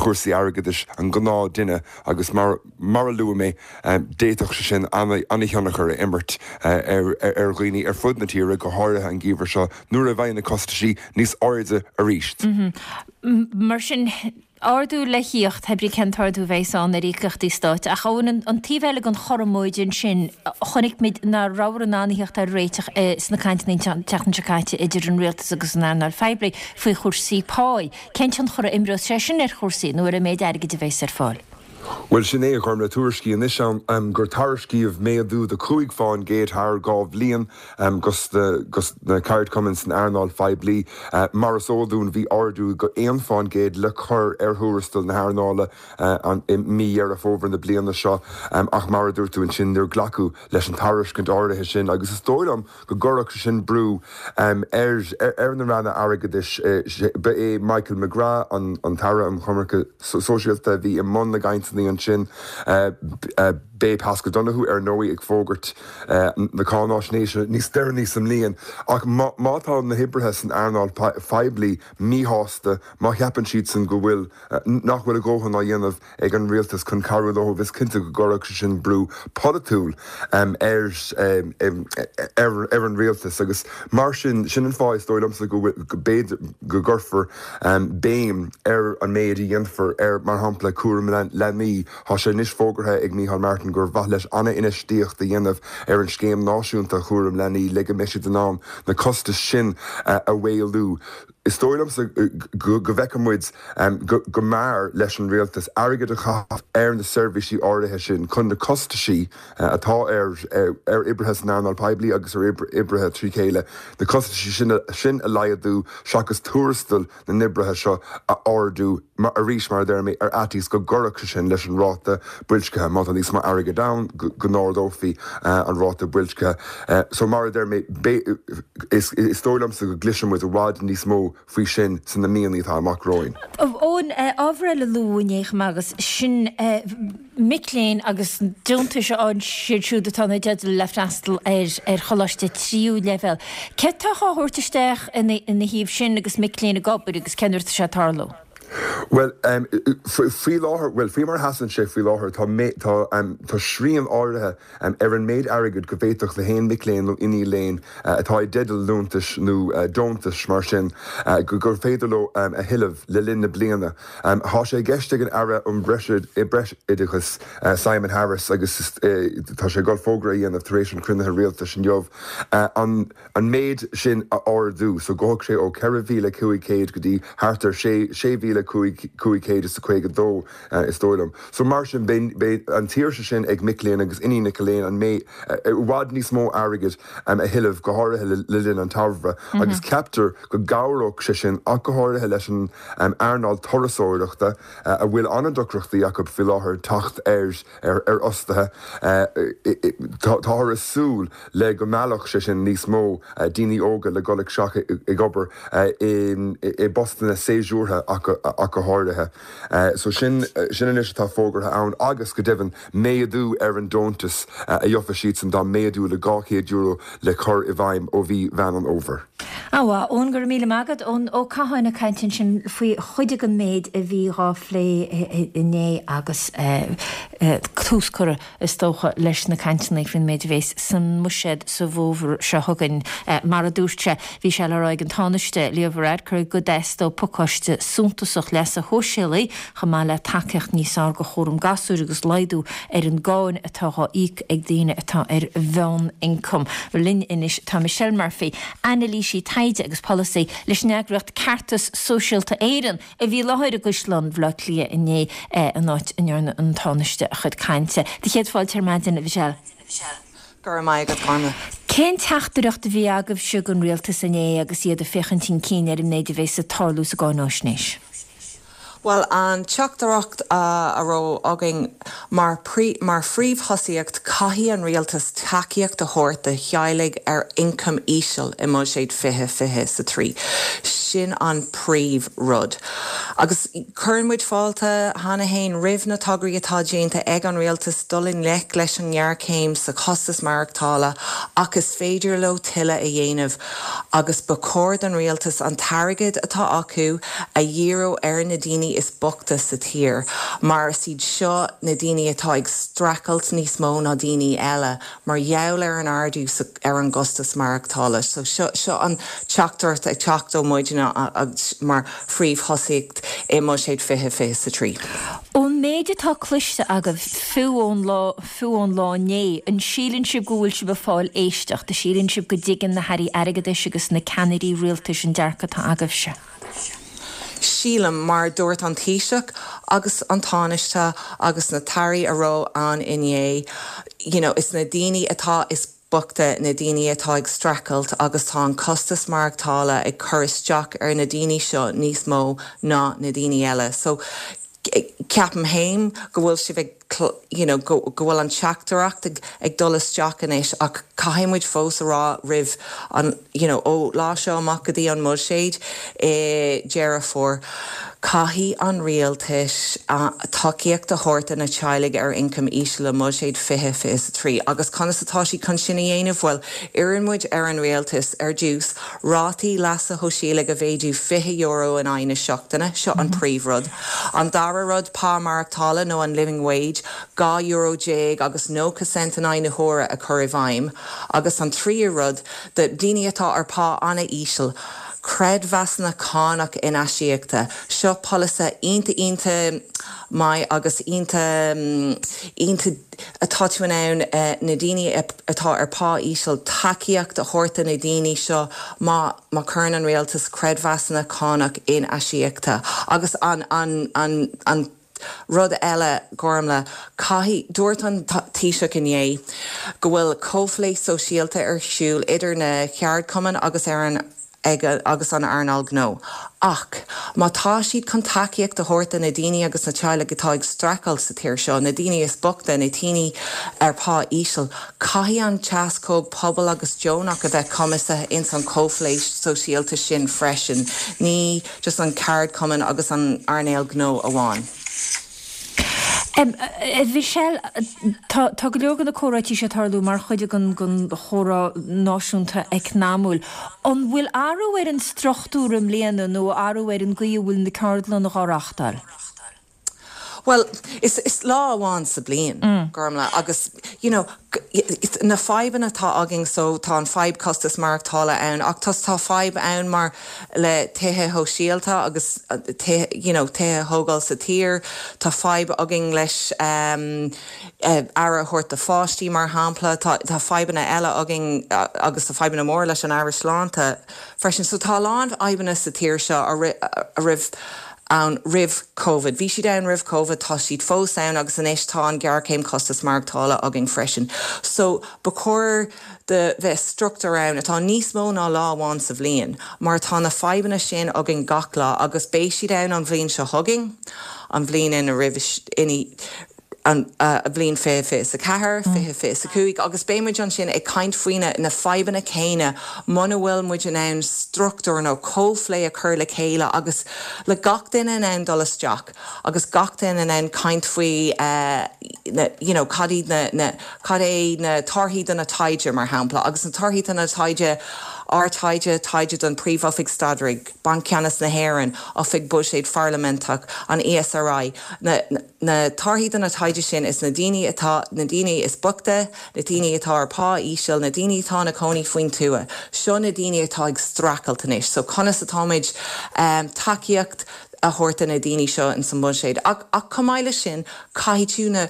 chúrsaí airgeadais an ghnáthduine agus mar mar a luaigh mé, d'fhéadfadh sé sin an-thionchar a imirt ar dhaoine ar fud na tíre, go háirithe an geimhreadh seo nuair a bheidh na costaisí níos airde arís. Mar sin, ardú le thíocht, pé brí cén t-ardú a bheas ann ar íocaíochtaí stáit. Ach Eoin, an taobh eile den chothromóid ansin, chonaic muid nach rabhthar in ann a theacht ar réiteach sna cainteanna an tseachtain seo caite idir an rialtas agus an earnáil phoiblí faoi chúrsaí páí. Cén tionchar a imreos sé sin ar chúrsaí nó ar an méid airgid a bheas ar fáil? Bhuel, sin é, a Ghormfhlaith, tuairiscí anois ann gur tairiscíodh méadú de 5 fán gcéad thar 2 bhliain dos na ceardchumainn san earnáil phoiblí. Mar is eol dúinn, bhí ardú de 1 fán gcéad le cur ar thuarastal na hearnála i mí Dheireadh Fómhair na bliana seo ach mar a dúirt tú ansin, níor glacadh leis an tairiscint áirithe sin agus is dóigh liom go gcuirfeadh sé sin brú ar na ranna airgeadais. Ba é Michael McGrath, an tAire um Choimirce Sóisialta, a bhí i mbun na gcainteanna ansin. Beidh Paschal Donohoe, ar ndóigh, ag fógairt na cáináisnéise níos deireanaí sa mbliain. Ach má tá na hoibrithe san earnáil phoiblí míshásta, má cheapann siadsan go bhfuil, nach bhfuil a dhóthain á dhéanamh ag an rialtas chun cabhrú leo, is cinnte go gcuirfeadh sé sin brú polaitiúil ar ar an rialtas agus mar sin, sin an fáth is dóigh liomsa go b'fhéidir go gcuirfear béim ar an méid a dhéanfar ar, mar shampla, cúram leanaí. Tá sé anois fógartha ag Micheál Martin gur mhaith leis an-infheistíocht a dhéanamh ar an scéim náisiúnta chúram leanaí le go mbeidh siad in ann na costais sin a mhaolú. Is dóigh liomsa go bhfeicfidh muid go mb'fhearr leis an rialtas airgead a chaitheamh ar na seirbhísí áirithe sin chun na costaisí atá ar oibrithe san earnáil poiblí agus ar oibrithe trí chéile, na costaisí sin a laghdú seachas tuarastal na n-oibrithe seo a ardú arís, mar a deir mé, ar fhaitíos go gcuirfeadh sé sin leis an ráta boilscithe. Má tá níos mó airgid ann, go n-ardófaí an ráta boilscithe. So, mar a deir mé, is dóigh liomsa go gcloisfidh muid i bhfad níos mó faoi sin sna míonna atá amach romhainn. Eoin, ábhar eile a luadh inné chomh maith agus sin mic léinn agus deontais a fhaigheann siad siúd atá ina dteideal le freastal ar choláiste tríú leibhéal. Céard atá á thabhairt isteach ina thaobh sin agus mic léinn ag obair agus cén uair atá sé ag tarlú? Bhuel, faoi láthair, bhuel, faoi mar a sheasann sé faoi láthair, tá, tá, tá srian áirithe ar an méid airgid go bhféadfadh le haon mhic léinn nó iníon léinn atá i dteideal liúntais nó deontais mar sin gur féidir leo a thuilleamh le linn na bliana. Tá sé i gceist ag an Aire um Breisoideachas, Simon Harris, agus tá sé ag dul fógra a dhéanamh tar éis an chruinnithe rialtais inniu, an an méid sin a ardú so gabhfadh sé ó 4,500 go dtí thart ar 6,552 is dóigh liom. So mar sin beidh an tsaoirse sin ag mic léinn agus iníonacha léinn an méid i bhfad níos mó airgid a thuilleamh go háirithe le linn an tsamhraidh agus ceaptar go gcabhródh sé sin ach go háirithe leis an earnáil turasóireachta a bhfuil an-deacrachtaí acu faoi láthair teacht ar ar fhostaithe. Táthar ag súil le go meallfadh sé sin níos mó daoine óga le dul isteach ag obair i bpostanna séasúrtha ach go háirithe. So sin sin anois atá fógartha ann agus go deimhin méadú ar an deontas a gheofa siadsan tá méadú le €200 le cur i bhfeidhm ó mhí Mheán an Fhómhair. Ana-mhaith, Eoin, go raibh míle maith agat. Eoin Ó Catháin ag caint ansin faoi chuid den méid a bhí dhá phlé inné agus tús curtha, is dócha, leis na cainteanna faoin méid a bhéas san mbuiséad sa bhfómhar seo chugainn. Mar a dúirt sé, bhí sé le rá ag an Tánaiste, Leo Varadkar, go dteastódh pacáiste suntasach leasa shóisialaigh chomh maith le tacaíocht níos fearr do chúram gasúir agus laghdú ar an gcáin atá dhá íoc ag daoine atá ar mheánioncam. Linn anois tá Michelle Murphy, anailísí taighde agus polasaí leis an eagraíocht Ceartas Sóisialta Éireann, a bhí i láthair i gCaisleán Bhaile Átha Cliath inné, an áit a ndearna an Tánaiste a chuid cainte. Do chéad fáilte ar maidin, a Mhichelle. Go raibh maith agat, Gormfhlaith. Cén teachtaireacht a bhí agaibhse don rialtas inné agus iad ag féachaint chun cinn ar an méid a bheas ag tarlú sa gcáináisnéis? Bhuel, an teachtaireacht a raibh againn mar mar phríomhthosaíocht, caithfidh an rialtas tacaíocht a thabhairt do theaghlaigh ar ioncam íseal i mBuiséad 2023. Sin an príomh rud. Agus cuireann muid fáilte cheana fhéin roimh na tograí atá déanta ag an rialtas dul i ngleic leis an ngéarchéim sa chostas maireachtála ach is féidir leo tuilleadh a dhéanamh. agus ba chóir don rialtas an t-airgead atá acu a dhíriú ar na daoine is boichte sa tír mar is iad seo na daoine atá ag streachailt níos mó ná daoine eile mar gheall ar an ardú ar an gcostas maireachtála. So seo seo an teachtaireacht ag teacht ó muidne mar phríomhthosaíocht i mBuiséad 2023. Ón méid atá cloiste agaibh, fiú ón lá, Fiú ón lá inné, an síleann sibh go bhfuil sibh ag fáil éisteacht? An síleann sibh go dtuigeann na hairí airgeadais agus na ceannairí rialtais an dearcadh atá agaibhse? Sílim, mar a dúirt an Taoiseach agus an Tánaiste agus na tAirí a raibh ann inné, you know, is na daoine atá is boichte na daoine atá ag streachailt agus tá an costas maireachtála ag cur isteach ar na daoine seo níos mó ná na daoine eile. So, ceapaim féin go bhfuil sibh ag you know go bhfuil an teachtaireacht ag ag dul isteach anois ach caithfidh muid fós a rá roimh an you know ó lá seo amach go dtí an mbuiséad i Deireadh Fómhair caithfidh an rialtas tacaíocht a thabhairt do na teaghlaigh ar ioncam íseal i mbuiséad 2023 agus conas atá siad chun sin a dhéanamh? Bhuel iarrann muid ar an rialtas ar dtús Rátaí leasa shóisialaigh a mhéadú €20 in aghaidh na seachtaine, seo an príomhrud. An dara rud, pá maireachtála nó an living wage, €12 agus 90 cent in aghaidh na huaire a chur i bhfeidhm. Agus an tríú rud, do dhaoine atá ar pá an-íseal, creidmheasanna cánach in-aisíoctha. Seo polasaithe iontach iontach maith agus iontach iontach. atá tú in ann na daoine atá ar pá íseal, tacaíocht a thabhairt do na daoine seo má má chuireann an rialtas creidmheasanna cánach in-aisíoctha. Agus an an an an rud eile, Gormlaith, caithfidh, dúirt an Taoiseach inné go bhfuil comhphlé sóisialta ar siúl idir na ceardchumainn agus ar an ag agus an earnáil gnó. Ach má tá siad chun tacaíocht a thabhairt do na daoine agus na teaghlaigh atá ag streachailt sa tír seo, na daoine is boichte, na daoine ar pá íseal, caithfidh an teascóg pobal agus deonach a bheith cumasaithe ins an chomhphlé sóisialta sin freisin, ní just an ceardchumann agus an earnáil gnó amháin. A Mhichelle, tá go leor de na comhráití seo ag tarlú mar chuid den chomhrá náisiúnta eacnamúil. An bhfuil athrú ar an struchtúr i mbliana nó athrú ar an gcaoi a bhfuil na ceardlanna á reáchtáil? Bhuel, is lá amháin sa bliain, Gormlaith, agus you know, na fadhbanna atá againn so tá an fadhb costas maireachtála ann ach tá tá fadhb ann mar le tithe shóisialta agus tithe you know tithe a thógáil sa tír tá fadhb againn leis aire a thabhairt do pháistí mar shampla tá tá fadhbanna eile againn agus tá fadhbanna móra leis an Aire Sláinte freisin so tá a lán fadhbanna sa tír seo a raibh ann roimh Covid. Bhí siad ann roimh Covid, tá siad fós ann agus anois tá an ghéarchéim costas maireachtála againn freisin. So ba chóir do bheith struchtúr ann atá níos mó ná lá amháin sa bhliain mar tá na fadhbanna sin againn gach lá agus beidh siad ann an bhliain seo chugainn, an bhliain ina roimhe, ina an bhliain 2024, 2025 agus beidh muid ansin ag caint faoi na fadhbanna céanna muna bhfuil muid in ann struchtúr nó comhphlé a chur le chéile agus le gach duine in ann dul isteach agus gach duine in ann caint faoi na you know cad iad na na cad é na torthaí do na taighde mar shampla agus na torthaí do na taighde ár taighde, taighde don Príomh-Oifig Staidrimh, Banc Ceannais na hÉireann, Oifig Buiséid Pharlaiminteach, an ESRI, na Na torthaí do na taighde sin is na daoine atá, na daoine is boichte, na daoine atá ar pá íseal, na daoine atá ina cónaí faoin tuath, seo na daoine atá ag streachailt anois. So conas atáimid tacaíocht a thabhairt do na daoine seo ins an mbuiséad. Ach, ach chomh maith leis sin, caithfidh tú na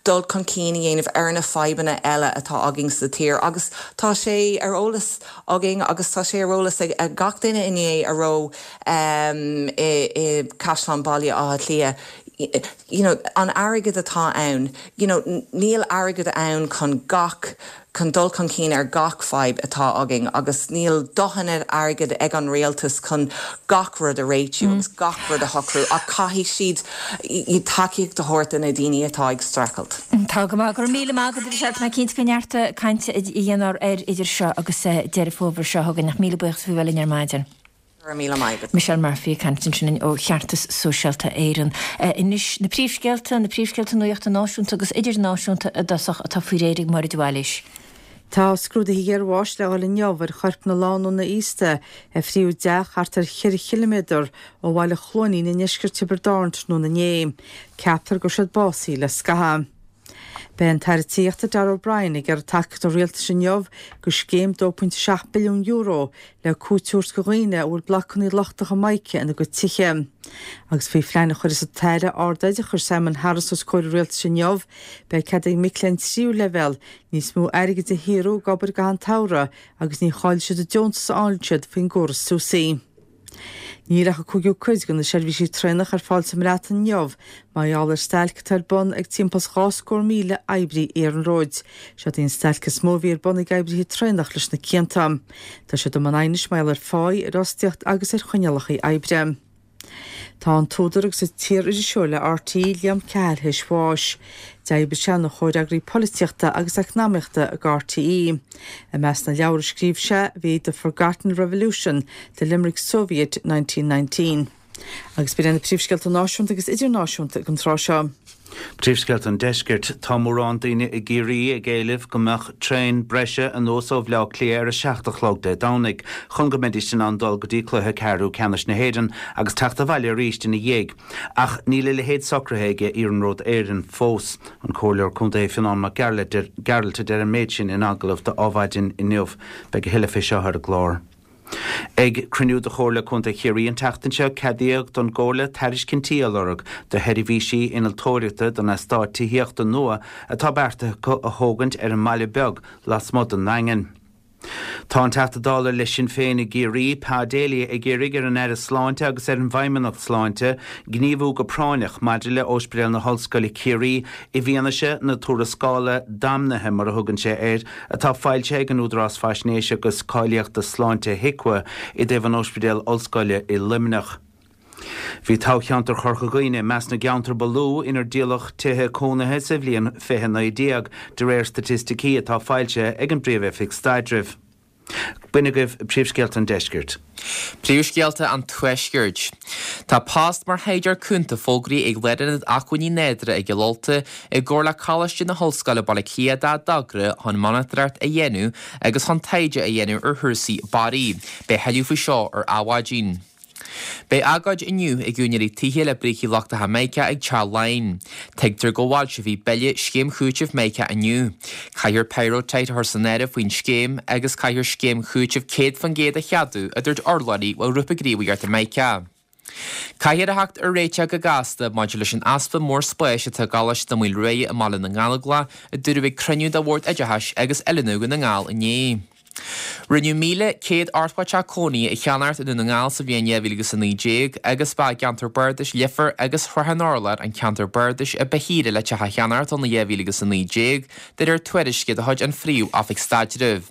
dul chun cinn a dhéanamh ar na fadhbanna eile atá againn sa tír agus tá sé ar eolas againn agus tá sé ar eolas ag gach duine inné a raibh i gCaisleán Bhaile Átha Cliath. you know, an airgead atá ann, you know, níl airgead ann chun gach, chun dul chun cinn ar gach fadhb atá againn agus níl dóthain airgid ag an rialtas chun gach rud a réitiú agus gach rud a shocrú ach caithfidh siad tacaíocht a thabhairt do na daoine atá ag streachailt. Tá go maith. Go raibh míle maith agat, a Mhichelle. Tá mé cinnte go mbeidh neart cainte a dhéanamh air idir seo agus Deireadh Fómhair seo chugainn ach míle buíochas faoi bheith linn ar maidin. Go raibh míle maith agat. Michelle Murphy ag caint ansin ó Cheartas Sóisialta Éireann. Anois na príomhscéalta, na príomhscéalta nuachta náisiúnta agus idirnáisiúnta i dtosach atá faoi réir ag Máire de Bhailís. Tá scrúduithe iarbháis le dhul inniu ar choirp na lánúna aosta a fríodh i dteach thart ar cheithre chiliméadar ó bhaile Chluainín i ndeisceart Thiobraid Árann tráthnóna inné. Ceaptar go raibh siad básaithe le scaitheamh. Beidh an tAire Tithíochta Darragh O'Brien ag iarraidh tacaíocht an Rialtais inniu do scéim €2.7 billiún le cúiteamh a thabhairt do dhaoine a bhfuil blocanna lochtacha mica ina gcuid tithe. Agus faoi phlean a chuirfeas an tAire Ardoideachais Simon Harris os comhair an Rialtais inniu, beidh cead ag mic léinn tríú leibhéal níos mó airgid a shaothrú ag obair i gcaitheamh an tsamhraidh agus ní chaillfidh siad an deontas a fháileann siad faoin gcóras SUSI. Níl ach an cúigiú cuid de na seirbhísí traenach ar fáil sa mBreatain inniu mar gheall ar stailc atá ar bun ag timpeall is 2,000 oibrí iarnróid. Seod í an stailc is mó a bhí ar bun ag oibrithe traenach leis na cianta. Tá siad i mbun aighnis mar gheall ar pháí, ar fhostaíocht agus ar choinníollacha oibre. Tá an t-údar agus an t-iar-iriseoir le RTÉ, Liam Cahill théis bháis. D'oibrigh sé ina chomhfhreagraí polaitíochta agus eacnamaíochta ag RTÉ. I measc na leabhar a scríobh sé bhí The Forgotten Revolution, The Limerick Soviet, 1919. Agus b'in iad na príomhscéalta náisiúnta agus idirnáisiúnta ag an tráth seo. Príomhscéalta an Deiscirt. Tá mórán daoine i gCiarraí ag éileamh go mbeadh traein breise anuas ó Bhleá Cliath ar a 7 a chlog Dé Domhnaigh chun go mbeidís in ann dul go dtí cluiche ceathrú ceannais na hÉireann agus teacht abhaile arís ina dhiaidh. Ach níl a leithéid socraithe ag Iarnród Éireann fós. An Comhairleoir Contae Fionán Mac Gearailt a deir an méid sin in agallamh do Adhmhaidin inniu. Beidh a thuilleadh fé seo ar an gclár. Ag cruinniú de Chomhairle Contae Chiarraí an tseachtain seo, ceadaíodh don gComhairle tairiscintí a lorg do sheirbhísí innealtóireachta don eastát tithíochta nua atá beartaithe acu a thógaint ar an mBaile Beag lasmuigh den nDaingean. Tá an Teachta Dála le Sinn Féin i gCiarraí, Pa Daly ag iarraidh ar an Aire Sláinte agus ar an bhFeidhmeannacht Sláinte gníomhú go práinneach maidir le Ospidéal na hOllscoile Ciarraí i bhfianaise na tuarascála damnaithe, mar a thugann sé air, atá foilsithe ag an Údarás Faisnéise agus Cáilíochta Sláinte, HIQA, i dtaobh an Ospidéil Ollscoile i Luimneach. Bhí toghcheantar Chorca Dhuibhne i measc na gceantar ba lú inar díoladh tithe cónaithe sa bhliain 2019, de réir staitisticí atá foilsithe ag an bPríomh-Oifig Staidrimh. B'in agaibh príomhscéalta an deiscirt. Príomhscéalta an Tuaiscirt. Tá post mar thaighdeoir cúnta fógraithe ag Lárionad Acmhainní Nádúrtha i gCill Ulta i gcomhar le Coláiste na hOllscoile Baile Átha Cliath dá dtogra chun monatóireacht a dhéanamh agus chun taighde a dhéanamh ar chúrsaí barraí. Beidh thuilleadh faoi seo ar Adhmhaidin. Beidh agóid inniu ag úinéirí tithe le brící lochtacha Mica ag Teach Laighean. Tuigtear go bhfoilseofaí bille scéim chúitimh Mica inniu. Caithfear pyrrhotite a chur san áireamh faoin scéim agus caithfear scéim chúitimh 100% a cheadú, a dúirt urlabhraí ó Ghrúpa Gníomhaíochta Mica. Caithfear a theacht ar réiteach go gasta maidir leis an easpa mór spáis atá i gColáiste Maoil Ruaidhe i mBaile na nGallóglach, a dúradh ag cruinniú de Bhord Oideachais agus Oiliúna Dhún na nGall inné. Rinneadh 1,180 teach cónaithe a cheannacht i nDún na nGall sa bhliain 2019 agus ba i gceantar bardais Leifear agus Shrath an Urláir an ceantar bardais a ba shaoire le teach a cheannacht in 2019, de réir tuairisce de chuid an Phríomh-Oifig Staidrimh.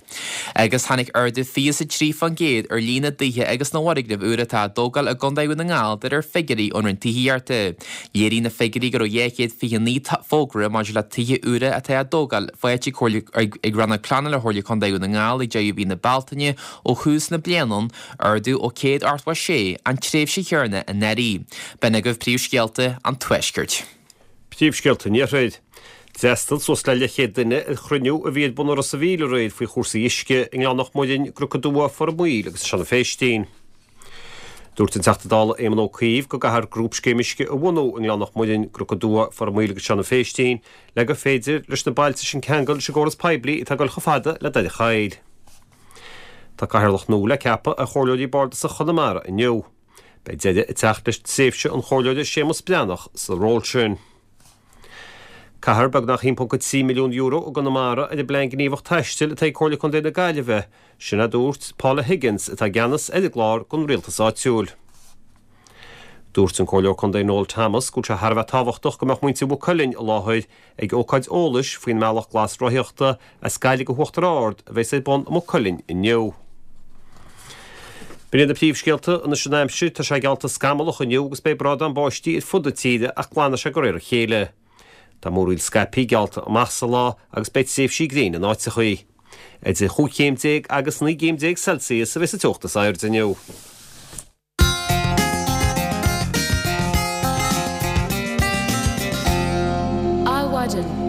Agus tháinig ardú 23% ar líon na dtithe agus na bhfoirgneamh úr atá á dtógáil i gContae Dhún na nGall de réir figiúirí ón Roinn Tithíochta. Léirigh na figiúirí go raibh 229 fógra maidir le tithe úra atá á dtógáil faighte ag Rannóg Pleanála Chomhairle Contae Dhún na nGall ag deireadh mhí na Bealtaine ó thús na bliana, ardú ó 186 an tréimhse chéanna anuraidh. B'in agaibh príomhscéalta an Tuaiscirt. Príomhscéalta an Iarthair. D'fhreastail suas le leathchéad duine ar chruinniú a bhí ar bun i Ros a' Mhíl aréir faoi chúrsaí uisce i nGleann Loch Muirinn, gCnoc Dubha, Phort an Mhaoil agus i Seanadh Phéistín. Dúirt an Teachta Dála Éamon Ó Cuív go gcaithfear grúpscéim uisce a bhunú i nGleann Loch Muirinn, gCnoc Dubha, Phort an Mhaoil agus Seanadh Phéistín le gur féidir leis na bailte sin ceangal leis an gcóras poiblí atá ag dul chomh fada le Doire Choill. Tá cathaoirleach nua le ceapadh ar Chomhairleoirí Bardasach Chonamara inniu. Beidh deireadh ag teacht leis tréimhse an Chomhairleora Séamus Breathnach sa ról sin. Caithfear beagnach €1.3 milliún i gConamara ar an bPlean Gníomhach Taistil atá ag Comhairle Contae na Gaillimhe, sin a dúirt Paula Higgins atá i gceannas ar an gclár don rialtas áitiúil. Dúirt an Comhairleoir Contae Noel Thomas go bhfuil sé thar a bheith tábhachtach go mbeadh muintir Mhaigh Cuilinn i láthair ag ócáid eolais faoin mBealach Glas Rothaíochta as Gaillimh go hUachtar Ard a bheas ar bun i Maigh Cuilinn inniu. B'in iad na príomhscéalta anois an aimsir, tá sé geallta scamallach inniu agus beidh brádán báistí ar fud na tíre ach glanfaidh sé de réir a chéile. Tá múraíl scaipthe geallta amach sa lá agus beidh tréimhsí gréine in áiteachaí. Idir chúig chéim déag agus 19 gcéim Celsius a bheas an teocht is airde inniu. Adhmhaidin.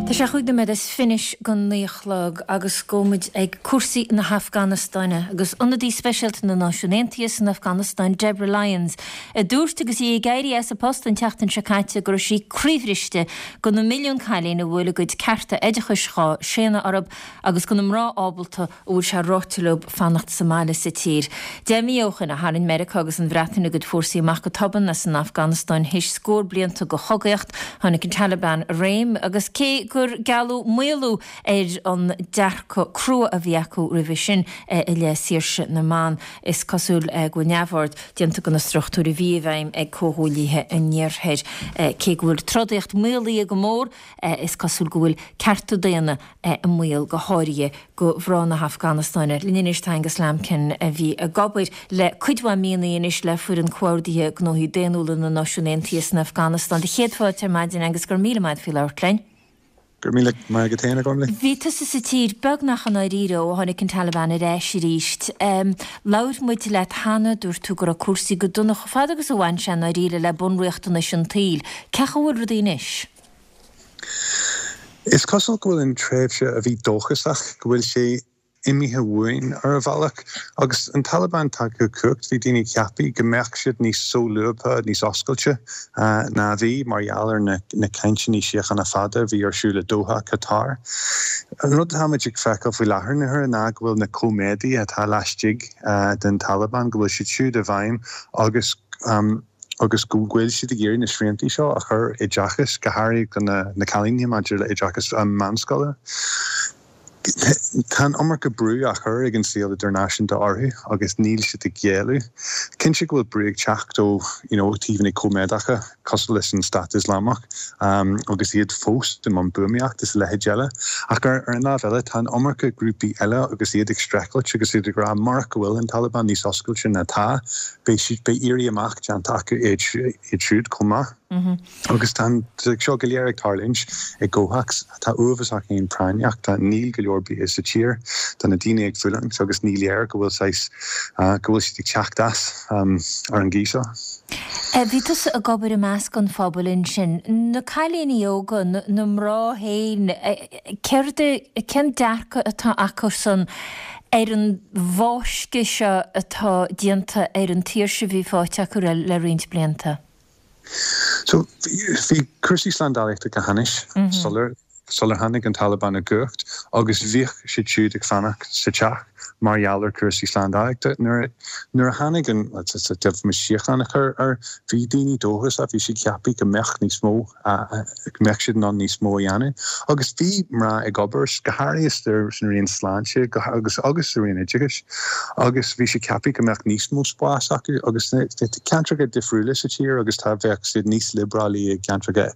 Tá sé chúig nóiméad is fiche go naoi a chlog agus gabhfaidh muid ag cúrsaí na hAfganastáine agus ionadaí speisialta na Náisiún Aontaithe san Afganastáin, Deborah Lyons, a dúirt agus í ag éirí as a post an tseachtain seo caite go raibh sí croíbhriste do na milliúin cailín a bhfuil a gcuid cearta oideachais dhá séanadh orthu agus do na mná ábalta a bhfuil sé ráite leo fanacht sa mbaile sa tír. 10 mí ó shin a tharraing Meiriceá agus an Bhreatain a gcuid fórsaí amach go tobann as an Afganastáin théis scór blianta de chogaíocht. Tháinig an Taliban i réim agus cé gur gealladh maolú ar an dearcadh crua a bhí acu roimhe sin i leith saoirse na mban, is cosúil go bhfuil neamhaird déanta de na struchtúir a bhí i bhfeidhm ag comhghuaillithe an Iarthair. Cé go bhfuil trodaíocht maolaithe go mór, is cosúil go bhfuil cearta daonna i mbaol, go háirithe do mhná na hAfganastáine. Linn anois tá Angus Lambkin, a bhí ag obair le cuid mhaith míonna anois le Foireann Comhordaithe Gnóthaí Daonnúla na Náisiún Aontaithe san Afganastáin. Do chéad fáilte ar maidin, Angus, go raibh míle maith agat faoi labhairt linn. Go raibh míle maith agat féin, a Ghormlaith. Bhí tusa sa tír beagnach i ndáiríre ó tháinig an Taliban ar ais arís. Labhair muid leat cheana, dúirt tú go raibh cúrsaí go dona chomh fada agus a bhain sé i ndáiríre le bunriachtanais an tsaoil. Cén chaoi a bhfuil rudaí anois? Is cosúil go bhfuil an tréimhse a bhí dóchasach, go bhfuil sé imithe uainn ar a bhealach. Agus an Taliban tagtha chun cumhacht, bhí daoine ag ceapadh go mbeadh siad níos solúbtha, níos oscailte ná a bhí mar gheall ar na cainteanna síochána fada a bhí ar siúl i Doha, Qatar. An rud atáimid ag feiceáil faoi láthair na huaire ná go bhfuil na coimeádaithe atá laistigh den Taliban, go bhfuil siad siúd i bhfeidhm agus, agus go bhfuil siad ag iarraidh na sriantaí seo a chur oideachas, go háirithe do na cailíní maidir le oideachas meánscoile. Tá an iomarca brú á chur ag an saol idirnáisiúnta orthu agus níl siad ag géilleadh. Cinnte go bhfuil brú ag teacht ó you know taobhanna coimeádacha cosúil leis an Stát Ioslamach agus iad fós i mbun buamaíocht is a leithéid eile. Ach ar an lámh eile tá an iomarca grúpaí eile agus iad ag streachailt agus iad ag rá murach go bhfuil an Taliban níos oscailte ná atá, Beidh siad, beidh éirí amach déanta acu iad siúd chomh maith. Agus tá seo go léir ag tarlúint i gcomhthéacs atá uafásach féin práinneach, tá, níl go leor bia sa tír, tá na daoine ag fulaingt agus ní léir go bhfuil saghas, go bhfuil siad ag teacht as ar an gcaoi seo. Bhí tusa ag obair i measc an phobail ansin. Na cailíní óga, na mná féin, Céard é, cén dearcadh atá acusan ar an bhfáisceadh seo atá déanta ar an tsaoirse a bhí faighte acu le roinnt blianta? So, bhí cúrsaí slándálaíochta go hainnis sular, sular tháinig an Taliban i gcumhacht agus bhíodh siad siúd ag fanacht sa teach mar gheall ar chúrsaí slándálaíochta. Nuair, nuair a tháinig an, deimhin síocháin a chur air, bhí daoine dóchasach, bhí siad ag ceapadh go mbeadh níos mó go mbeadh siad in ann níos mó a dhéanamh. Agus bhí mná ag obair, go háirithe san raon sláinte agus agus sa raon oideachais, agus bhí siad ceaptha go mbeadh níos mó spáis acu. Agus tá ceantracha difriúla sa tír agus tá, bheadh siad níos liobrálaí i gceantracha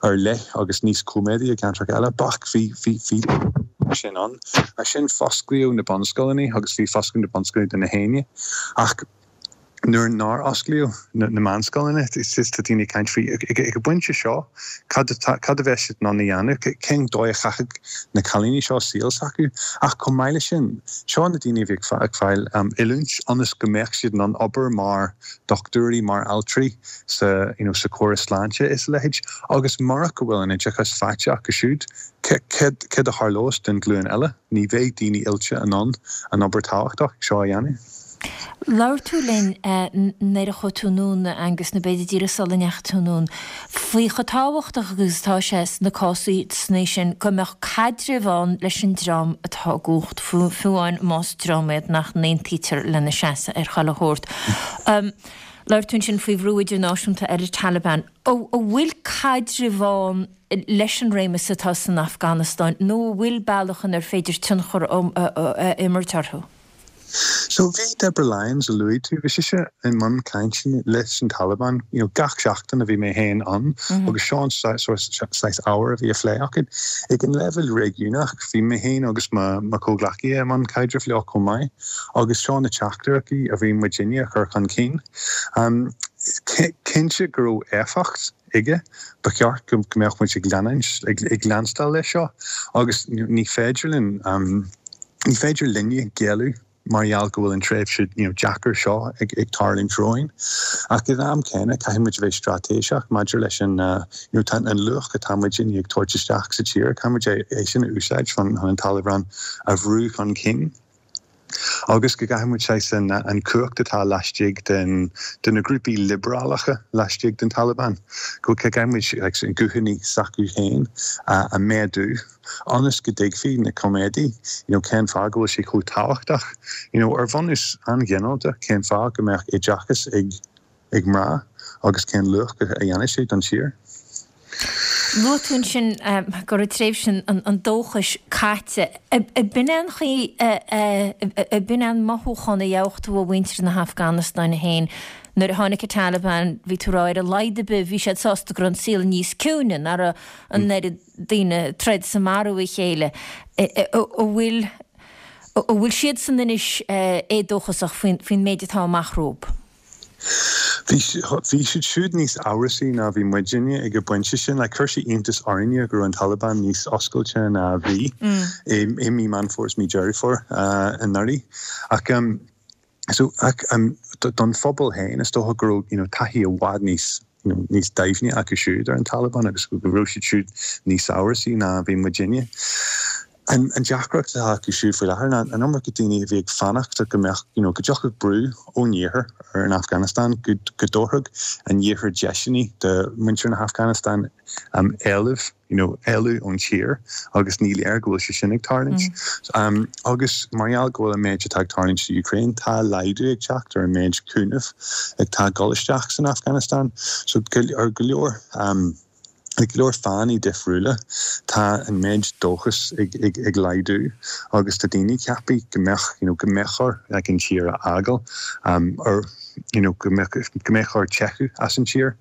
ar leith agus níos coimeádaí i gceantracha eile. Ach bhí, bhí, bhí sin ann. Ansin fosclaíodh na bunscoileanna agus bhí foscladh na bunscoileanna do na héinne. Ach. Nuair nár osclaíodh na meánscoileanna, tá daoine ag caint faoi, ag an bpointe seo, cad a bheas siad in ann a dhéanamh, cén dóigh a chaithfidh na cailíní seo saol s'acu. Ach chomh maith leis sin, seo na daoine a bhí ag fáil oiliúint ionas go mbeadh siad in ann obair mar dhochtúirí, mar altraí sa you know sa chóras sláinte is a leithéid. Agus murach go bhfuil an oideachas faighte acu siúd, céard a tharlós don ghlúin eile? Ní bheidh daoine oilte in ann an obair tábhachtach seo a dhéanamh. Labhair tú linn nuair a chuaigh tú anonn, a Angus, nó b'fhéidir díreach sula ndeachaigh tú anonn, faoi chomh tábhachtach agus atá sé sna cásanna sin go mbeadh caidreamh ann leis an dream atá i gcumhacht, fiú amháin más dream iad nach n-aontaítear lena seasamh ar chuile shórt. Labhair tú ansin faoi bhrú idirnáisiúnta ar an Taliban. An bhfuil caidreamh ann leis an réimeas atá san Afganastáin nó an bhfuil bealach inar féidir tionchar a imirt orthu? So bhí Deborah Lyons, a luaigh tú, bhí sise i mbun cainteanna leis an Taliban, you know, gach seachtain a bhí mé féin ann agus seo an saghas ábhar a bhí á phlé acu. Ag an leibhéal réigiúnach, bhí mé féin agus mo chomhghleacaithe i mbun caidrimh leo chomh maith agus seo na teachtaireachtaí a bhí muidinne a chur chun cinn. Cinnte go raibh éifeacht aige, ba cheart go mbeadh muid ag leanúint, ag leanstáil leis seo agus ní féidir linn, Ní féidir linne géilleadh mar gheall go bhfuil an tréimhse deacair seo ag tarlúint romhainn. Ach ag an am céanna, caithfidh muid a bheith straitéiseach maidir leis an you know tá an luach atá muidinne ag tabhairt isteach sa tír, caithfidh muid é sin a úsáid chun an Taliban a bhrú chun cinn. Agus go gcaithfidh muid saghas an cumhacht atá laistigh den de na grúpaí liobrálacha laistigh den Taliban, go gcaithfidh muid an guthanna s'acu féin a méadú. ionas go dtuigfidh na coimeádaigh you know cén fáth go bhfuil sé chomh tábhachtach you know ar bhunús an-ghinearálta cén fáth go mbeadh oideachas ag ag mná agus cén luach a dhéanfaidh sé don tír. Luaigh tú ansin go raibh tréimhse an dóchais caite. Ab in é an chaoi, ab in é an mothúchán a gheobhadh tú ó mhuintir na hAfganastáine féin nuair a tháinig an Taliban, bhí tú ag rá ar a laghad ar bith bhí siad sásta go raibh an saol níos ciúine, nach raibh an oiread daoine ag troid is ag marú a chéile, an bhfuil, an bhfuil siadsan anois éadóchasach faoin méid atá amach rompu? Bhí, bhí siad siúd níos amhrasaí ná bhí muidinne ag an bpointe sin. Like, chuir sé iontas orainne go raibh an Taliban níos oscailte ná a bhí i mí Meán Fómhair is mí Deireadh Fómhair anuraidh. Ach, So, ach don phobal féin, is dócha go raibh, you know, taithí i bhfad níos, you know, níos doimhne acu siúd ar an Taliban agus go raibh siad siúd níos amhrasaí ná a bhí muidinne. An deacracht atá acu siúd faoi láthair ná an iomarca daoine a bhí ag fanacht go mbeadh, you know, go dtiocfadh brú ón iarthar ar an Afganastáin, go dtabharfadh an iarthar deiseanna do mhuintir na hAfganastáin éileamh you know, éalú ón tír agus ní léir go bhfuil sé sin ag tarlúint. Agus mar gheall go bhfuil an méid atá ag tarlúint sa Ukraine, tá laghdú ag teacht ar an méid cúnamh atá ag dul isteach san Afganastáin. So ar go leor, ar go leor fáthanna difriúla, tá an méid dóchas ag, ag, ag laghdú agus tá daoine ag ceapadh go mbeadh, you know, go mbeadh orthu like, an tír a fhágáil ar, you know, go mbeadh, go mbeadh orthu teitheadh as an tír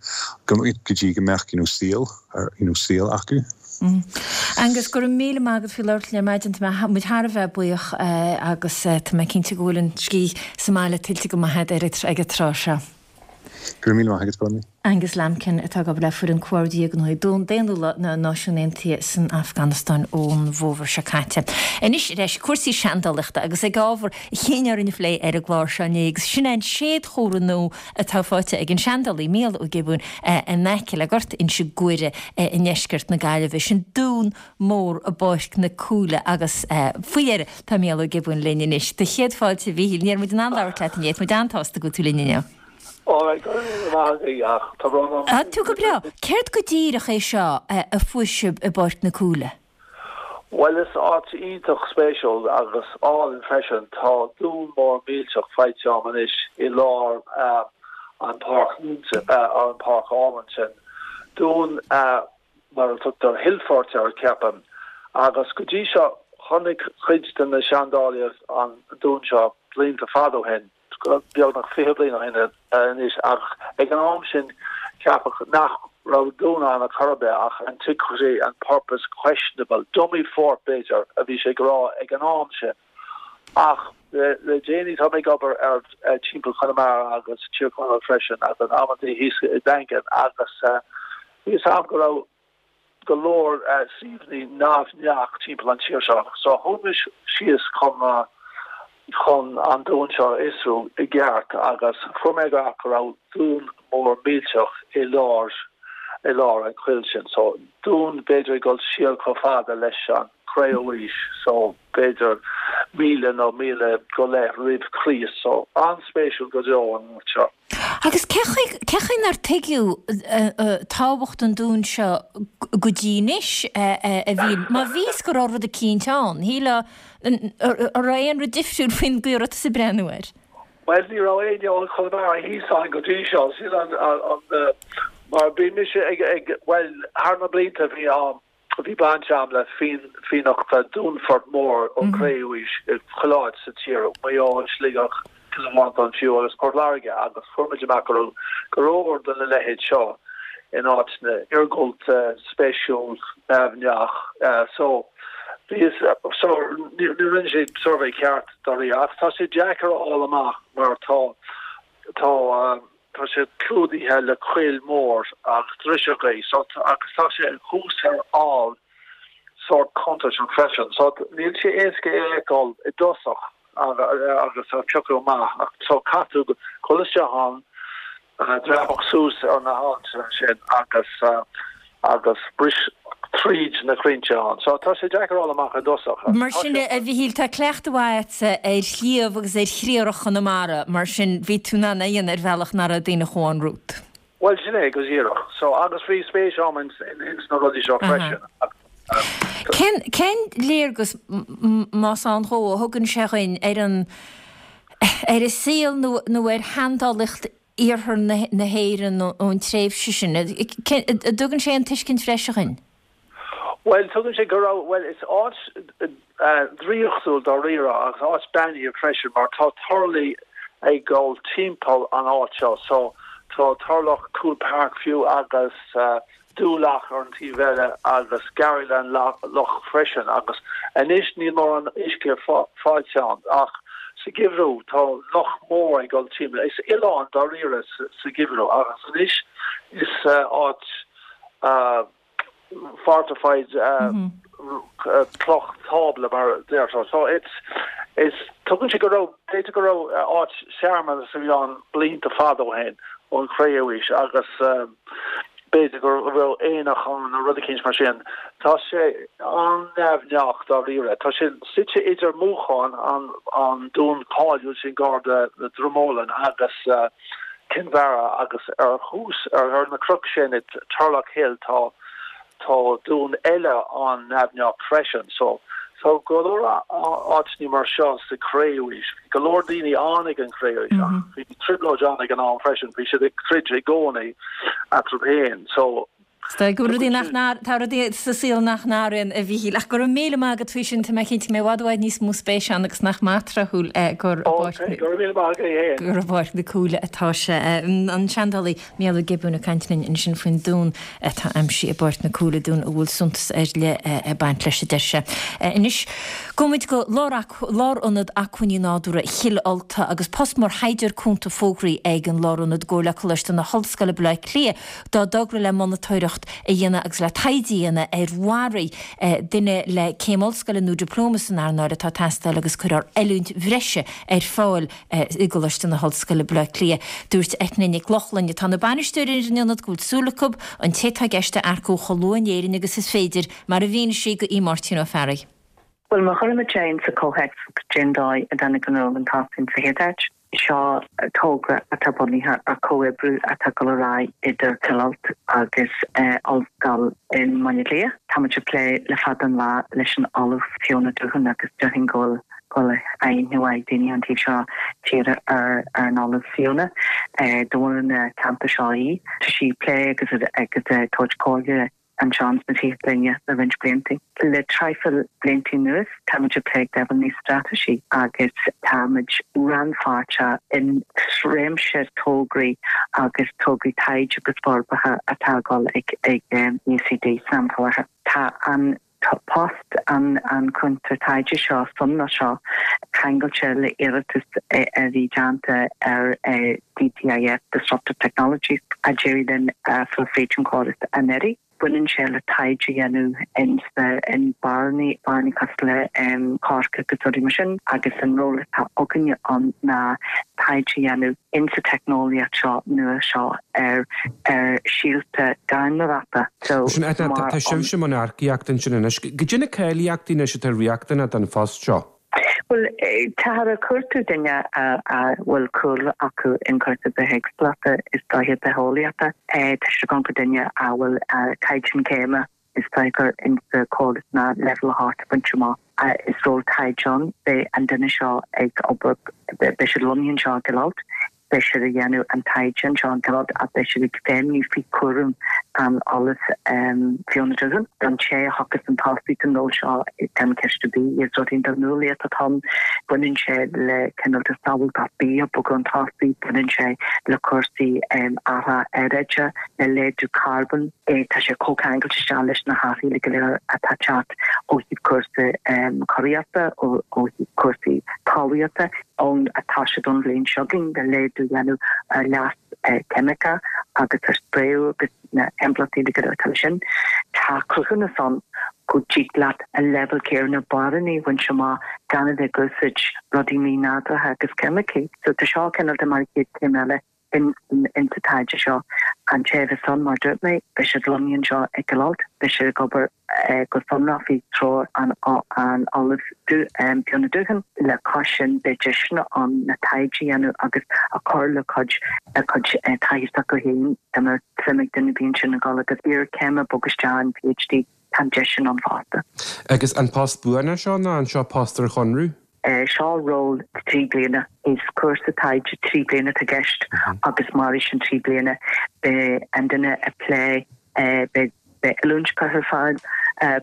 go, go dtí go mbeadh, you know, saol. you know saol acu. Angus, go raibh míle maith agat faoi labhairt linn ar maidin, tá muid thar a bheith buíoch agus tá mé cinnte go bhfuil an scíth sa mbaile tuillte go maith agat ag an tráth seo. Go raibh míle maith agat, Bronwyn. Angus Lambkin atá ag obair le Foireann Comhordaithe Gnóthaí Daonnúla na Náisiún Aontaithe san Afganastáin ón bhfómhar seo caite. Anois ar ais ag cúrsaí seandálaíochta agus ag ábhar a chinn orainn a phlé ar an gclár seo inné agus sin é an séadchomhartha nua atá faighte ag an seandálaí Mícheál Ó Giobúin in aice le Gort Inse Guaire i ndeisceart na Gaillimhe. Sin dún mór i bPáirc na Cúile agus faoi dheireadh tá Mícheál Ó Giobúin linn anois. Do chéad fáilte a Mhíchíl. Ní raibh muid in ann labhairt leat inné, tá muid an-tsásta go bhfuil tú linn inniu. Alright, go raibh míle maith agaibh ach tá brón orm. Tá tú go breá. Céard go díreach é seo a fuair sibh i bPáirc na Cúile? Bhuel, is áit iontach spéisiúil agus álainn freisin. Tá dún mór millteach faighte agam anois i lár an páirc an páirc álainn sin. Dún mar a tugtar hillfort air, ceapaim. Agus go dtí seo, chonaic cuid de na seandálaithe an dún seo blianta fada ó shin. beagnach 20 bliain ó shin anois, ach ag an am sin ceapadh nach raibh dún ann ar chor ar bith ach antiquity and purpose questionable, dummy fort b'fhéidir a bhí sé ag rá ag an am sin. Ach le déanaí tá mé ag obair ar timpeall Chonamara agus Tír Chonaill freisin agus amantaí thíos i Daingean agus bhí fhios a'm go raibh go leor suíomhanna neamhghnácha timpeall an tír seo. So chuaigh mé síos chun chun an dún seo a fhiosrú i gceart agus fuair mé amach go raibh dún mór millteach i lár i lár an choill sin. So dún b'fhéidir ag dul siar chomh fada leis an Cré-umhaois so b'fhéidir 1000 nó 1000 go leith roimh Chríost. So an-spéisiúil go deo an áit seo. Agus cé chaoi nár tuigeadh tábhacht an dúin seo go dtí anois, a Mhíchíl? Má bhí fhios go raibh rud eicínt ann, shílfeá, an raibh aon rud difriúil faoin gcaoi a raibh tusa ag breathnú air? Bhuel, ní raibh éinne ó Chonamara thíos ann go dtí seo, sin an, mar bhí mise ag, bhuel, thar na blianta bhí an. Bhí baint a'm le fiannachtha dúnfort mór ón Chré-Umhaois i chuile áit sa tír, Maigh Eo, Sligeach, Cill Mhantáin fiú agus Port Láirge agus fuair muid amach go raibh go leor de na leithéid seo in áiteanna iargúlta spéisiúil neamhneach so bhí so ní rinne sé suirbhé ceart dáiríre ach tá sé deacair a fháil amach mar tá tá Tá sé clúdaithe le coill mór agus driseachaí so agus tá sé thuas ar fhál sórt contúirteach freisin so níl sé éasca é a fheiceáil i dtosach agus a phiocadh amach ach so caithfidh tú dul isteach ann, dreapadh suas ar na haillte sin agus agus bris tríd na crainnte ann. So tá sé deacair a fháil amach i dtosach. Mar sin, a Mhichíl, tá cleachtadh mhaith agatsa ar shliabh agus ar chriathrach Chonamara, mar sin bhí tú in ann é a dhéanamh ar bhealach nach raibh daoine chomh romhat. Bhuel, sin é go díreach. So, agus bhí spéis agam ins na rudaí seo freisin. Cén, cén léargas, más ann dhó, a thugann sé dhuinn ar an, ar an saol nó, nó ar sheandálaíocht iarthar na hÉireann ón tréimhse sin? An dtugann sé aon tuiscint bhreise dhuinn? Bhuel, tugann sé go raibh, bhuel, is áit draíochtúil dáiríre agus áit beannaithe freisin mar tá turlaigh ag dul timpeall an áit seo. So, tá turlach Coole Park fiú agus Doolough ar an taobh eile agus Garryland Lough freisin agus anois níl mórán uisce faighte ann ach sa gheimhreadh tá loch mór ag dul timpeall. Is oileán dáiríre sa gheimhreadh agus anois is áit fortified cloch tábla mar a déarfá. So it's is tugann sé go raibh b'fhéidir go raibh áit searmanas a bhí ann blianta fada ó shin ón Chré-Umhaois agus B'fhéidir go raibh aonach ann nó rud eicínt mar sin. Tá sé an-neamhghnách dáiríre. Tá sé suite idir Múchán, an dún cáiliúil sin gar do Dromolan, agus Kinvara agus ar thús, ar na cnoic sin i Turlough Hill tá tá dún eile an-neamhghnách freisin. So, tá go leor áiteanna mar seo sa Chré-Umhaois. Bhí go leor daoine ann ag an Chré-Aois ach bhí trioblóid ann ag an am freisin. Bhí siad ag troid i gcónaí eatarthu féin. So, Tá go rudaí nach tá rudaí sa saol nach n-athraíonn, a Mhíchíl. Ach go raibh míle maith agat faoi sin, tá mé cinnte go mbeidh i bhfad i bhfad níos mó spéise ann agus nach maith tráthúil gur i bPáirc Go raibh míle maith agat féin. gur i bPáirc na Cúile atá sé. An seandálaí Mícheál Ó Giobúin ag caint linn ansin faoin dún atá aimsithe i bPáirc na Cúile, dún a bhfuil suntas ar leith ag baint leis, a deir sé. Anois, gabhfaimid go Lárionad Acmhainní Nádúrtha Chill Ulta agus post mar thaighdeoir cúnta fógraithe ag an Lárionad i gcomhar le Coláiste na hOllscoile, Baile Átha Cliath, dá dtogra le monatóireacht a dhéanamh agus le taighde a dhéanamh ar bharraí. Duine le céim ollscoile nó dioplóma san earnáil atá ag teastáil agus cuirfear oiliúint bhreise ar fáil i gColáiste na hOllscoile, Baile Átha Cliath. Dúirt Eithne Nic Lochlainn, atá ina bainisteoir ar an ionad, go bhfuil súil acu an té atá i gceist a earcú chomh luath in Éirinn agus is féidir, mar a mhínigh sí do Aodh Máirtín Ó Fearraigh. Bhuel, má chuirimid é insa chomhthéacs cén dóigh a dtáinig an ról atá ann sa chéad áit, seo togra atá bunaithe ar chomhoibriú atá ag dul ar aghaidh idir Cill Ulta agus Ollscoil i mBaile Átha Cliath. Táimid ag plé le fada an lá leis an Ollamh Fiona Doohan agus déarfainn go bhfuil go bhfuil aithne mhaith ag daoine an taobh seo tíre ar an Ollamh Fiona. De bhunadh na ceantar seo í. Tá sí ag plé agus ag tabhairt comhairle anseo sna Tithe Gloine le roinnt blianta. Le traidhfil blianta anuas táimid ag plé ag leibhéal níos straitéisí agus táimid rannpháirteach in réimse tograí agus tograí taighde agus forbartha atá ag dul ag UCD san am faoi láthair. Tá an post an chúntóir taighde seo sonrach seo ceangailte le iarratas a bhí déanta ar DTIF, Disruptive Technologies, a d'éirigh linn a fháil fríd an chóras anuraidh. Baineann sé le taighde a dhéanamh in barrannaí, barrannaí cosúil le coirce agus rudaí mar sin, agus an ról atá againne ann ná taighde a dhéanamh insa teicneolaíocht seo nua seo ar ar síolta gairneoireachta. So, Sin, Eithne, mar tá sibhse i mbun earcaíochta ansin anois. Goidé na cáilíochtaí anois atá riachtanach don phost seo? Bhuel, táthar ag cuartú duine a bhfuil cúlra acu in cúrsaí bithéagsúlachta, is dóiche bitheolaíochta. Tá siad ag amharc ar duine a bhfuil caighdeán céime, is dóiche gur insa chóras ná leibhéal 8 bainte amach. Is ról taighde ann. Beidh an duine seo ag obair, beidh siad lonnaithe anseo i gCill Ailt. Beidh siad ag déanamh an taighde anseo in Cill Ulta ach beidh siad ag feidhmiú faoi chúram an Ollaimh Fiona Doohan. Don té a thiocfas chun tosaigh don ról seo gan ceist ar bith, is rud iontach nuálaíoch atá ann. Baineann sé le cineál de sábháilteacht bia ag bogadh chun tosaigh, baineann sé le cúrsaí athrú aeráide, le laghdú carbóin. Tá sé comhcheangailte isteach leis na hathruithe go léir atá ag teacht ó thaobh cúrsaí curaíochta, ó thaobh cúrsaí talmhaíochta. ann atá siad don bhliain seo chugainn le laghdú a dhéanamh ar leas ceimiceach agus ar spraeú agus na himpleachtaí go léir atá leis sin. Tá cruthúnas ann go dtig leat an leibhéal céanna barranna a bhaint amach gan a bheith ag úsáid rudaí mí-nádúrtha agus ceimicí. So tá seo cineál de mar chéad chéim eile in sa taighde seo. An té a bheas ann, mar a dúirt mé, beidh siad lonnaithe anseo i gCill Ulta, beidh siad ag obair go sonrach faoi threoir an Ollaimh Fiona Doohan. Le cois sin, beidh deiseanna ann le taighde a dhéanamh agus a chur le cuid a cuid taithí s'acu féin, dá mbeadh suim ag duine ar bith ansin a dhul agus iarchéim a bhogadh isteach in PhD, tá an deis sin ann fosta. Agus an post buan é seo nó an seo post ar chonradh? Seo ról 3 bliana. Is cúrsa taighde 3 bliana atá i gceist agus mairfidh sin 3 bliana. Beidh an duine ag plé, beidh oiliúint curtha ar fáil,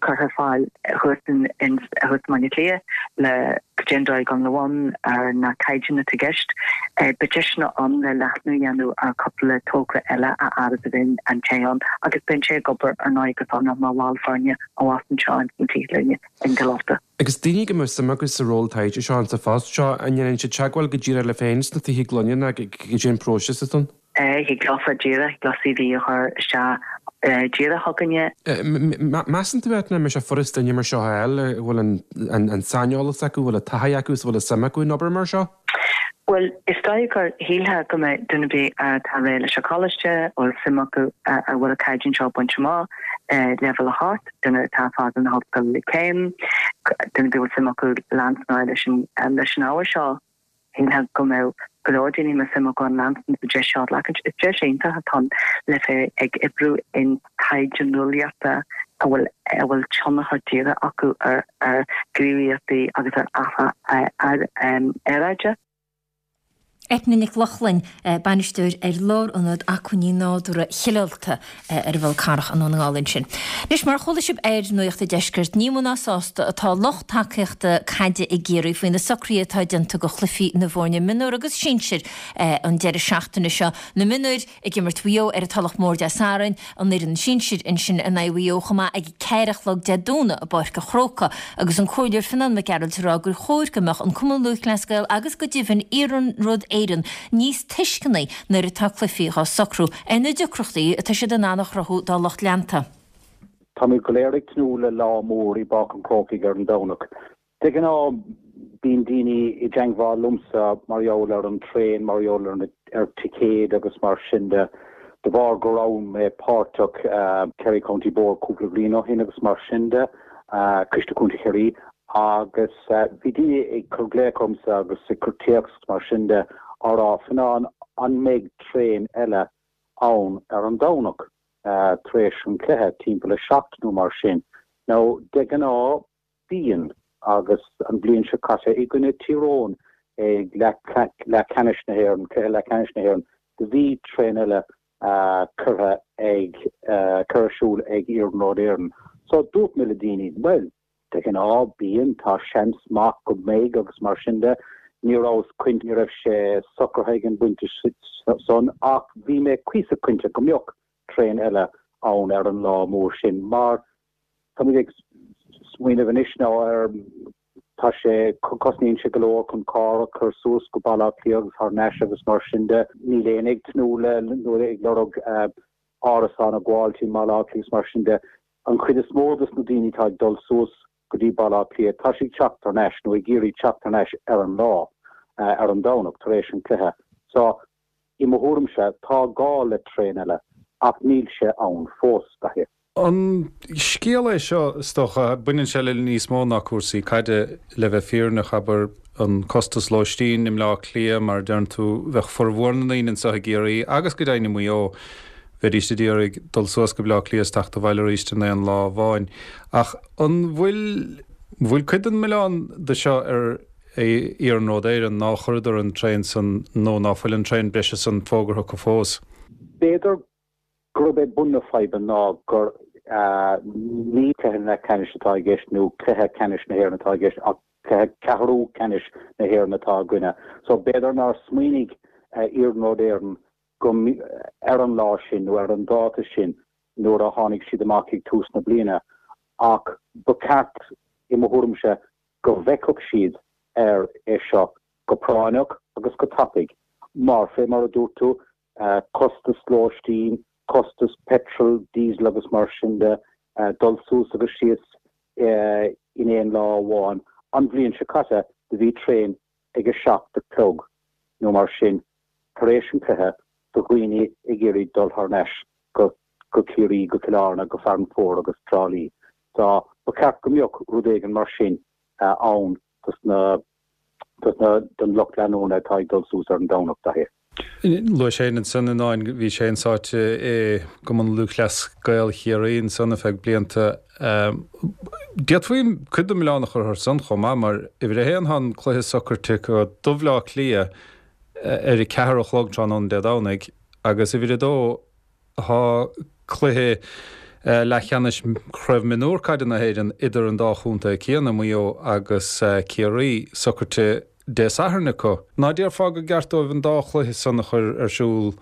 curtha ar fáil thuas in thuas i mBaile Átha Cliath le cad é an dóigh a ghabháil i mbun ar na caighdeáin atá i gceist. Beidh deiseanna ann le leathnú a dhéanamh ar cúpla togra eile a fhad is a bheidh an té ann agus beidh an té ag obair ar ndóigh go sonrach mar bhall foirne abhus anseo ins na Tithe Gloine in gCill Ulta. Agus daoine go mbeadh suim acu sa ról taighde seo an sa phost seo, an ndéanann siad teagmháil go díreach libh féin sna Tithe Gloine nó cad é an próiseas atá ann? Thig leofa díreach, thig leo CV a chur isteach díreach chugainne. Measann tú, Eithne, an mbeidh sé furast duine mar seo a fháil, a bhfuil an saineolas acu, a bhfuil an taithí acu is a bhfuil an suim acu in obair mar seo? Bhuel, is dóigh gur shílfeá go mbeadh duine ar bith atá réidh leis an choláiste, a bhfuil suim acu, a bhfuil an caighdeán seo bainte amach, leibhéal 8, duine atá ag fágáil na hollscoile le céim, duine ar bith a bhfuil suim acu leanstan ar aghaidh leis an ábhar seo, shílfeá go mbeadh go leor daoine a mbeadh suim acu ann leanstan sa deis seo a ghlacaint. Is deis iontach atá ann le bheith ag oibriú in taighde nuálaíochta a bhfuil a bhfuil tionchar díreach acu ar ar ghníomhaíochtaí agus ar athrú aeráide. Eithne Nic Lochlainn, Bainisteoir ar Lárionad Acmhainní Nádúrtha Chill Ulta ar an bhFol Carrach i nDún na nGall ansin. Anois, mar a chuala sibh ar Nuacht an Deiscirt, ní mó ná sásta atá lucht tacaíochta caide i gCiarraí faoi na socruithe atá déanta do chluichí na bhfoirne mionúr agus sinsir an deireadh seachtaine seo. Na mionúir ag imirt Mhaigh Eo ar an Tulach Mhór Dé Sathairn, an fhoireann sinsir ansin in aghaidh Mhaigh Eo chomh maith ag a ceathair a chlog Dé Domhnaigh i bPáirc an Chrócaigh agus an Comhairleoir Fionán Mac Gearailt ag rá gur chóir go mbeadh an Cumann Lúthchleas Gael agus go deimhin Iarnród Éireann níos tuisceanaí nuair atá cluichí dhá socrú ar na deacrachtaí atá siad in ann a chruthú dá lucht leanta. Táimid go léir ag tnúth le lá mór i bPáirc an Chrócaigh ar an Domhnach. De ghnáth bíonn daoine i dteangmháil liomsa mar gheall ar an traein, mar gheall ar na ar ticéid agus mar sin de, de bharr go raibh mé páirteach Kerry County Board cúpla bliain ó shin agus mar sin de, Coiste Contae Chiarraí, agus bhí daoine ag cur glaoch ormsa agus ag cur téacs agus mar sin de á rá, Fionán, an mbeidh traein eile ann ar an Domhnach tar éis an chluiche, timpeall a 7 nó mar sin? Now, de ghnáth Bíonn, agus an bhliain seo caite i gcoinne Tír Eoghain ag leathcheannais na hÉireann, cluiche leathcheannais na hÉireann, do bhí traein eile curtha ag, curtha ar siúl ag Iarnród Éireann. So dúirt mé le daoine, bhuel, de ghnáth bíonn, tá seans maith go mbeidh agus mar sin de. Ní rabhas cinnte, ní raibh sé socraithe ag an bpointe san ach bhí mé cuíosach cinnte go mbeadh traein eile ann ar an lá mór sin mar Táimid ag smaoineamh anois now ar, tá sé, cosnaíonn sé go leor chun carr a chur suas go Baile Átha Cliath agus thar n-ais agus mar sin de. Níl éinne ag tnúth le, nó ag lorg árasán a ghabháilt i mBaile Átha Cliath agus mar sin de. An chuid is mó dos na daoine atá ag dul suas go dtí Baile Átha Cliath, tá siad ag teacht thar n-ais nó ag iarraidh teacht thar n-ais ar an lá, ar an Domhnach tar éis an chluiche. So, i mo thuairimse, tá gá le traein eile ach níl sé ann fós, Daithí. An scéal é seo, is dócha, baineann sé le níos mó ná cúrsaí caide, le bheith fírinneach, abair, an costas lóistín i mBleá Cliath, mar a deireann tú, bheadh formhór na ndaoine anseo i gCiarraí agus go deimhin i Maigh Eo, bheidís ag iarraidh dul suas go Bleá Cliath is teacht abhaile arís in aon lá amháin. Ach an bhfuil, bhfuil cuid den mhilleán de seo ar. Iarnród Éireann ná chuireadar an traein san nó ná fuil an traein breise san fógartha acu fós. B'fhéidir gurb é bun na faidhbe ná gur ní cluiche leathcheannais atá i gceist nó cluiche ceannais na hÉireann atá i gceist ach cluiche ceathrú ceannais na hÉireann atá againne. So b'fhéidir nár smaoinigh Iarnród Éireann go ar an lá sin nó ar an dáta sin nuair a tháinig siad amach ag tús na bliana ach ba cheart, i mo thuairimse, go bhfeicfeadh siad air é seo go práinneach agus go tapaidh mar, fé mar a dúirt tú, costas lóistín, costas petrol, diesel agus mar sin de, dul suas agus síos in aon lá amháin. An bhliain seo caite do bhí traein ag a 7 a chlog nó mar sin tar éis an chluiche do dhaoine ag iarraidh dul thar n-ais go go Ciarraí, go Cill Airne, go Fearann Fóir agus Trá Lí. So ba cheart go mbeadh rud éigin mar sin ann dos na dos na don lucht leanúna atá ag dul suas ar an Domhnach, Daithí. Luaigh sé ansan i ndán, bhí sé an-sáite i gCumann Lúthchleas Gael Chiarraí ansan ar feadh blianta. D'fhéadfaí cuid den mhilleán a chur orthu san chomh maith mar uimhir a haon tá an cluiche socraithe acu do Bhleá Cliath ar a ceathair a chlog tráthnóna Dé Domhnaigh agus uimhir a dó tá cluiche leathcheannais Chraobh Mionúr Caide na hÉireann idir an dá chontae céanna, Maigh Eo agus Ciarraí, socraithe Dé Sathairn acu. Ná déarfá gur gceart dóibh an dá chluiche san a chur ar siúl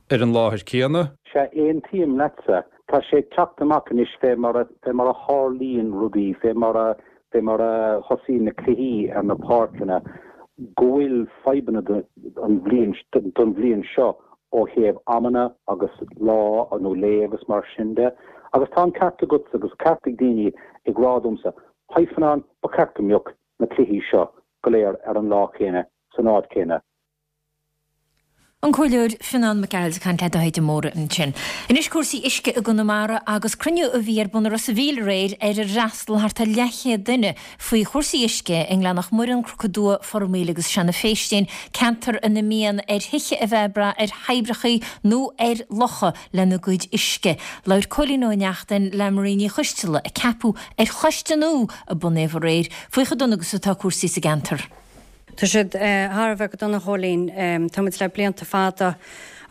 ar an láthair céanna? Sea, aontaím leatsa. Tá sé ag teacht amach anois fé mar a, fé mar a tharlaíonn rudaí, fé mar a, fé mar a thosaíonn na cluichí ar na páirceanna, go bhfuil fadhbanna don bhliain, don bhliain seo ó thaobh amanna agus lá nó lae agus mar sin de. Agus tá an ceart agatsa agus ceart ag daoine ag rá domsa, Haigh Fionnán, ba cheart go mbeadh na cluichí seo go léir ar an lá céanna, san áit chéanna. An Comhairleoir Fionnán Mac Gearailt ag caint le Dáithí de Mórdha ansin. Anois cúrsaí uisce i gConamara agus cruinniú a bhí ar bun i Ros a' Mhíl aréir ar ar fhreastal thart ar leathchéad duine faoi chúrsaí uisce i nGleann Mhuireann, Cnoc Dua, Formaoil agus Seanadh Phéistín, ceantar ina mbíonn ar thithe a bheith ag brath ar thoibreacha nó ar locha lena gcuid uisce. Labhair Cóilín Ó Neachtain le Marie Ní Choisteala, a ceapadh ar choiste nua a bunaíodh aréir, faoi chomh dona agus atá cúrsaí sa gceantar. Tá siad thar a bheith go dona, a Chóilín. Tá muid le blianta fada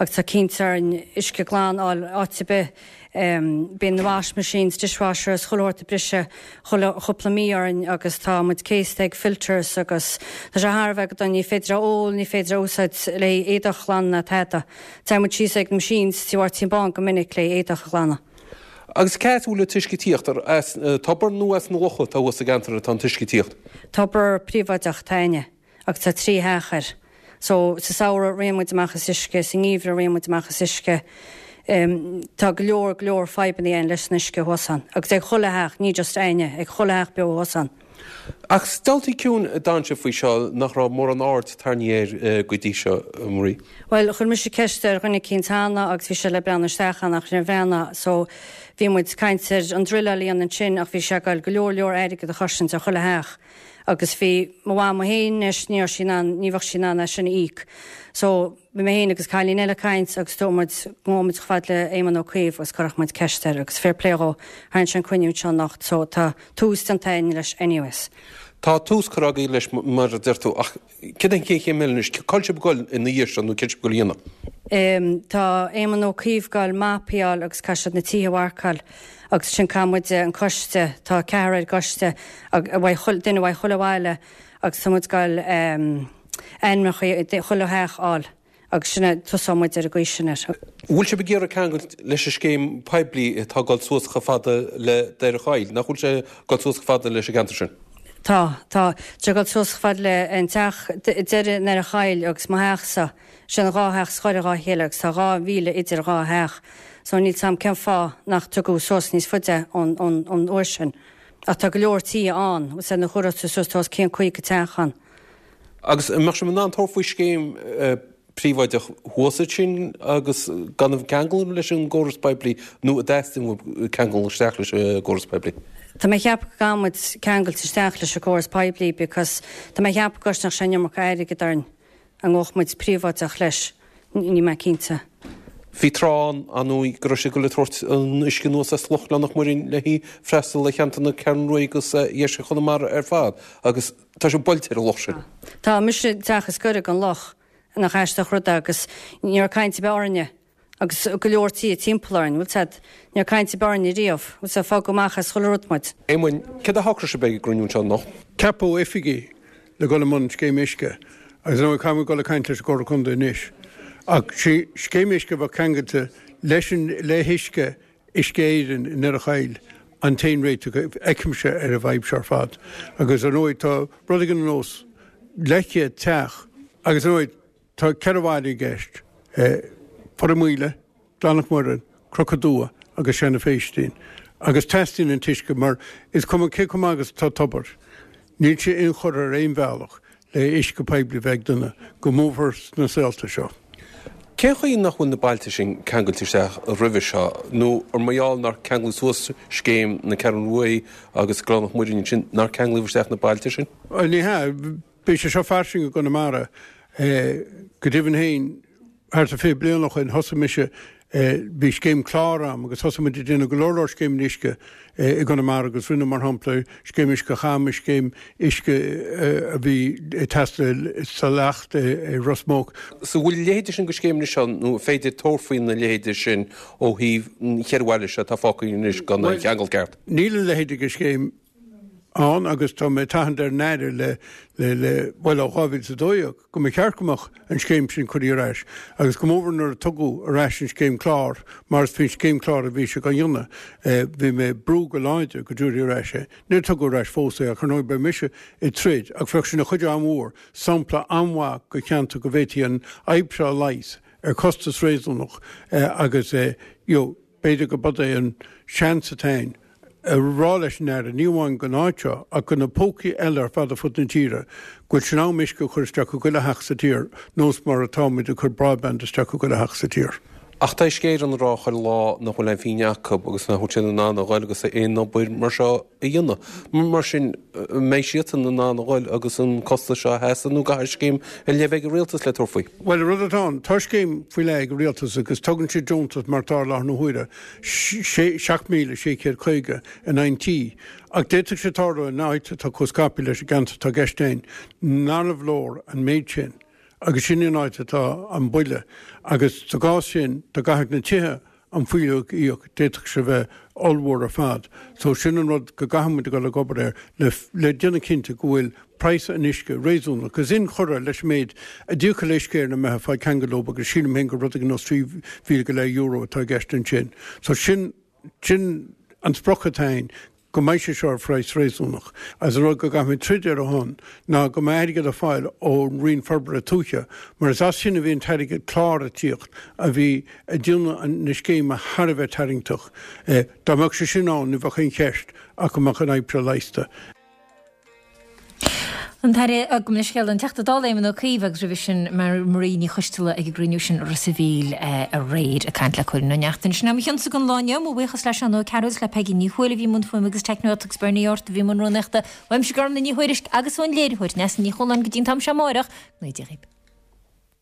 agus tá cinnte orainn uisce glan a fháil áit ar bith. Bíonn na wash machines, dishwashers, chuile shórt ag briseadh chuile chúpla mí orainn agus tá muid céasta ag filters agus tá sé thar a bheith go dona. Ní féidir a ól, ní féidir a úsáid le éadach a ghlanadh ná tada. Téann muid síos ag na machines tí Mháirtín Bán go minic le éadach a ghlanadh. Agus cá as a bhfuil an t-uisce ag tíocht? Ar as tobar nó as na locha atá thuas sa gceantar atá an t-uisce ag tíocht? Tobar príobháideach atá againne agus tá 3 theach air. So, sa samhradh ritheann muid amach as uisce, sa ngeimhreadh ritheann muid amach as uisce. Tá go leor, go leor fadhbanna againn leis an uisce thuas ann. Agus ag chuile theach, ní just againne, ag chuile theach beo thuas ann. Ach is daltaí ciúin a d'fhan sibh faoi seo nach raibh mórán aird tarraingthe air go dtí seo, a Marie. Bhuel, chuir mise ceist ar dhuine eicínt cheana agus bhí sé le breathnú isteach ann ach níor bhreathnaigh so bhí muid ag caint ar an druileáil a dhéanamh ansin ach bhí sé ag goil go leor leor airgead a chosaint ar chuile theach agus bhí mo mhama féin anois ní raibh sí in ann ní bheadh sí in ann é sin a íoc so Bhí mé féin agus cailín eile ag caint agus dúirt muid go ngabhfadh muid chomh fad le Éamon Ó Cuív agus cuirfeadh muid ceist air agus fair play dhó, tharraing sé an cruinniú anseo anocht so tá tús déanta againn leis anyways. Tá tús curtha agaibh leis mar a deir tú ach céard é an chéad chéim eile anois? Cá bhfuil sibh ag goil ina dhiaidh seo nó céard sibh ag goil a dhéanamh? Tá Éamon Ó Cuív ag goil mapaí a fháil agus caithfidh siad na tithe a mharcáil agus sin caithfidh muide an coiste, tá ceathrar ar an gcoiste, duine uaidh chuile bhaile agus tá muid ag goil ainmneacha chuile theach a fháil agus sin é, tosóidh muid ar an gcaoi sin air. Bhfuil sibh ag iarraidh ceangailt leis an scéim poiblí atá ag dul suas chomh fada le Doire Choill? Nach bhfuil sé ag dul suas chomh fada leis an gceantar sin? Tá, tá. Tá sé ag dul suas chomh fada le an teach deiridh i nDoire Choill agus mo theachsa. Sin an dhá theach is gaire dhá chéile agus tá 2,000 idir an dhá theach. So níl 's a'm cén fáth nach dtugadh suas níos faide ón, ón, ón uair sin. Ach tá go leor tithe ann, bhfuil 's a'd nuair a chuirfeá tú suas tá os cionn 50 teach ann. Agus an mbeadh sibh in ann tabhairt faoi scéim príobháideach thuas ansin agus gan a bheith ceangailte leis an gcóras poiblí nó an dteastaíonn uaibh ceangal isteach leis an gcóras poiblí? Tá mé ag ceapadh go gcaithfidh muid ceangailt isteach leis an gcóras poiblí because tá mé ag ceapadh go gcosnódh sé an iomarca airgead orainn. An ngabhfadh muid príobháideach leis? Níl mé cinnte. Bhí tráth ann, ar ndóigh, go raibh siad ag dul ag tabhairt an uisce anuas as Loch Ghleann na Muireann le haghaidh freastal ar cheantar na Ceathrún Rua agus dheisceart Chonamara ar fad agus tá sé buailte ar an loch sin. Tá mise an teach is gaire don loch, nach aisteach rud é agus ní raibh caint ar bith orainne agus go leor tithe timpeall orainn, bhfuil 's a'd, ní raibh caint ar bith orainne riamh, bhfuil 's a'd, fágadh amach as chuile rud muid. Éamoinn, céard a shocraigh sibh ag an gcruinniú anseo anocht? Ceapadh oifigigh le dhul i mbun scéim uisce agus ar ndóigh caithfidh muid dul ag caint leis an gComhairle Contae anois ach sí scéim uisce a bheadh ceangailte leis an le huisce Uisce Éireann i nDoire Choill an t-aon réiteach a fheicimse ar an bhfadhb seo ar fad agus ar ndóigh tá rud éigin ar nós leathchéad teach agus ar ndóigh tá ceithre bhaile i gceist, Port an Mhaoile, Gleann na Muireann, Cnoc an Dua agus Seanadh Phéistín agus teastaíonn an t-uisce mar is cuma cé chomh maith agus atá tobar, níl sé inchurtha ar aon bhealach le uisce poiblí a bheith ag duine, go mórmhór sna saolta seo. Cén chaoi nach bhfuil na bailte sin ceangailte isteach roimhe seo nó ar mar gheall nár ceanglaíodh suas scéim na Ceathrún Rua agus Gleann na Muireann ansin nár ceanglaíodh isteach na bailte sin? Ní hea. Bhí sé seo fairsing i gConamara. Go deimhin féin, thart ar 20 bliain ó shoin, thosaigh mise, bhí scéim clár a'm agus thosaigh muid ag déanamh go leor leor scéimeanna uisce i gConamara agus rinneadh, mar shampla, scéim uisce Chama, scéim uisce a bhí ag teastáil sa Leacht i Ros Muc. So bhfuil a leithéide sin de scéimeanna seo nó an féidir tabhairt faoina leithéide sin ó thaobh an cheithre bhaile seo atá fágtha anois gan aon cheangal ceart? Níl a leithéide de scéim ann agus tá mé ag tathant ar an Aire le, le, le, bhuel ó 2012 go mba cheart go mbeadh an scéim sin curtha ar ais agus go mórmhór nuair a tugadh ar ais an scéim clár mar is faoin scéim clár a bhí sé á dhéanamh bhí mé ag brú go láidir go dtabharfaí ar ais é. Níor tugadh ar ais fós é ach ar ndóigh beidh mise ag troid ach bheadh sin ina chuidiú an-mhór, sampla an-mhaith go cheantar go bhféadfaí an fhadhb seo a leigheas ar chostas réasúnach agus you know, B'fhéidir go b'é an seans atá againn a rá leis an Aire, ní amháin don áit seo, ach do na pócaí eile ar fad ar fud na tíre, go bhfuil sé in am uisce a chur isteach i gchuile theach sa tír, nós mar atá muid ag cur broadband isteach i gchuile theach sa tír. Ach tá Uisce Éireann ag rá chuile lá nach bhfuil aon phingin acu agus nach bhfuil siad in ann a ghoil agus aon obair mar seo a dhéanamh. Mar sin, an mbeidh siadsan in ann a ghoil agus an costas seo a sheasamh nó an gcaithfidh scéim ar leith a bheith ag an rialtas le tabhairt faoi? Bhuel, an rud atá ann, tá scéim faoi leith ag an rialtas agus tugann siad deontas mar atá i láthair na huaire, 7,650 in aghaidh an tí. Ach d'fhéadfadh sé tarlú in áit atá chomh scaipthe leis an gceantar atá i gceist againn, nárbh leor an méid sin. Agus sin an áit atá an buille. Agus sa gcás sin, dá gcaithfeadh na tithe an fuílleach a íoc, d'fhéadfadh sé bheith ollmhór ar fad. So sin an rud go gcaithfidh muid a dhul ag obair air le le déanamh cinnte go bhfuil praghas an uisce réasúnach agus inchurtha leis an méid a d'íocfadh le Uisce Éireann dá mbeifeá ag fáil ceangal leo agus sílim féin gur rud éigin nós 3,000 go leith euro atá i gceist ansin. So sin sin an sprioc atá againn go mbeidh sé seo ar phraghas réasúnach. Agus an rud go gcaithfimid troid ar a shon ná go mbeidh airgead ar fáil ón Roinn Forbartha Tuaithe, mar is as sin a bhí an t-airgead clár ag tíocht a bhí ag déanamh na scéime thar a bheith tarraingteach. Dá mbeadh sé sin ann ní bheadh aon cheist ach go mbeadh an fhadhb seo leigheasta. An tAire, gabh mo leithscéal, an Teachta Dála Éamon Ó Cuív agus roimhe sin Marie Ní Choisteala ag an gcruinniú sin i Ros a' Mhíl aréir ag caint le Cóilín Ó Neachtain. Sin é mo chionsa don lá inniu. Mo bhuíochas le Seán Ó Cearúil is le Peigí Ní Thuathail a bhí i mbun fuaime agus teicneoireachta agus Bernie Ort a bhí i mbun rúnaíochta. Uaimse Gormlaith Ní Thuairisg agus ón léiritheoir Neasa Ní Chualáin go dtí an t-am seo amáireach. Go dté Dia dhaoibh.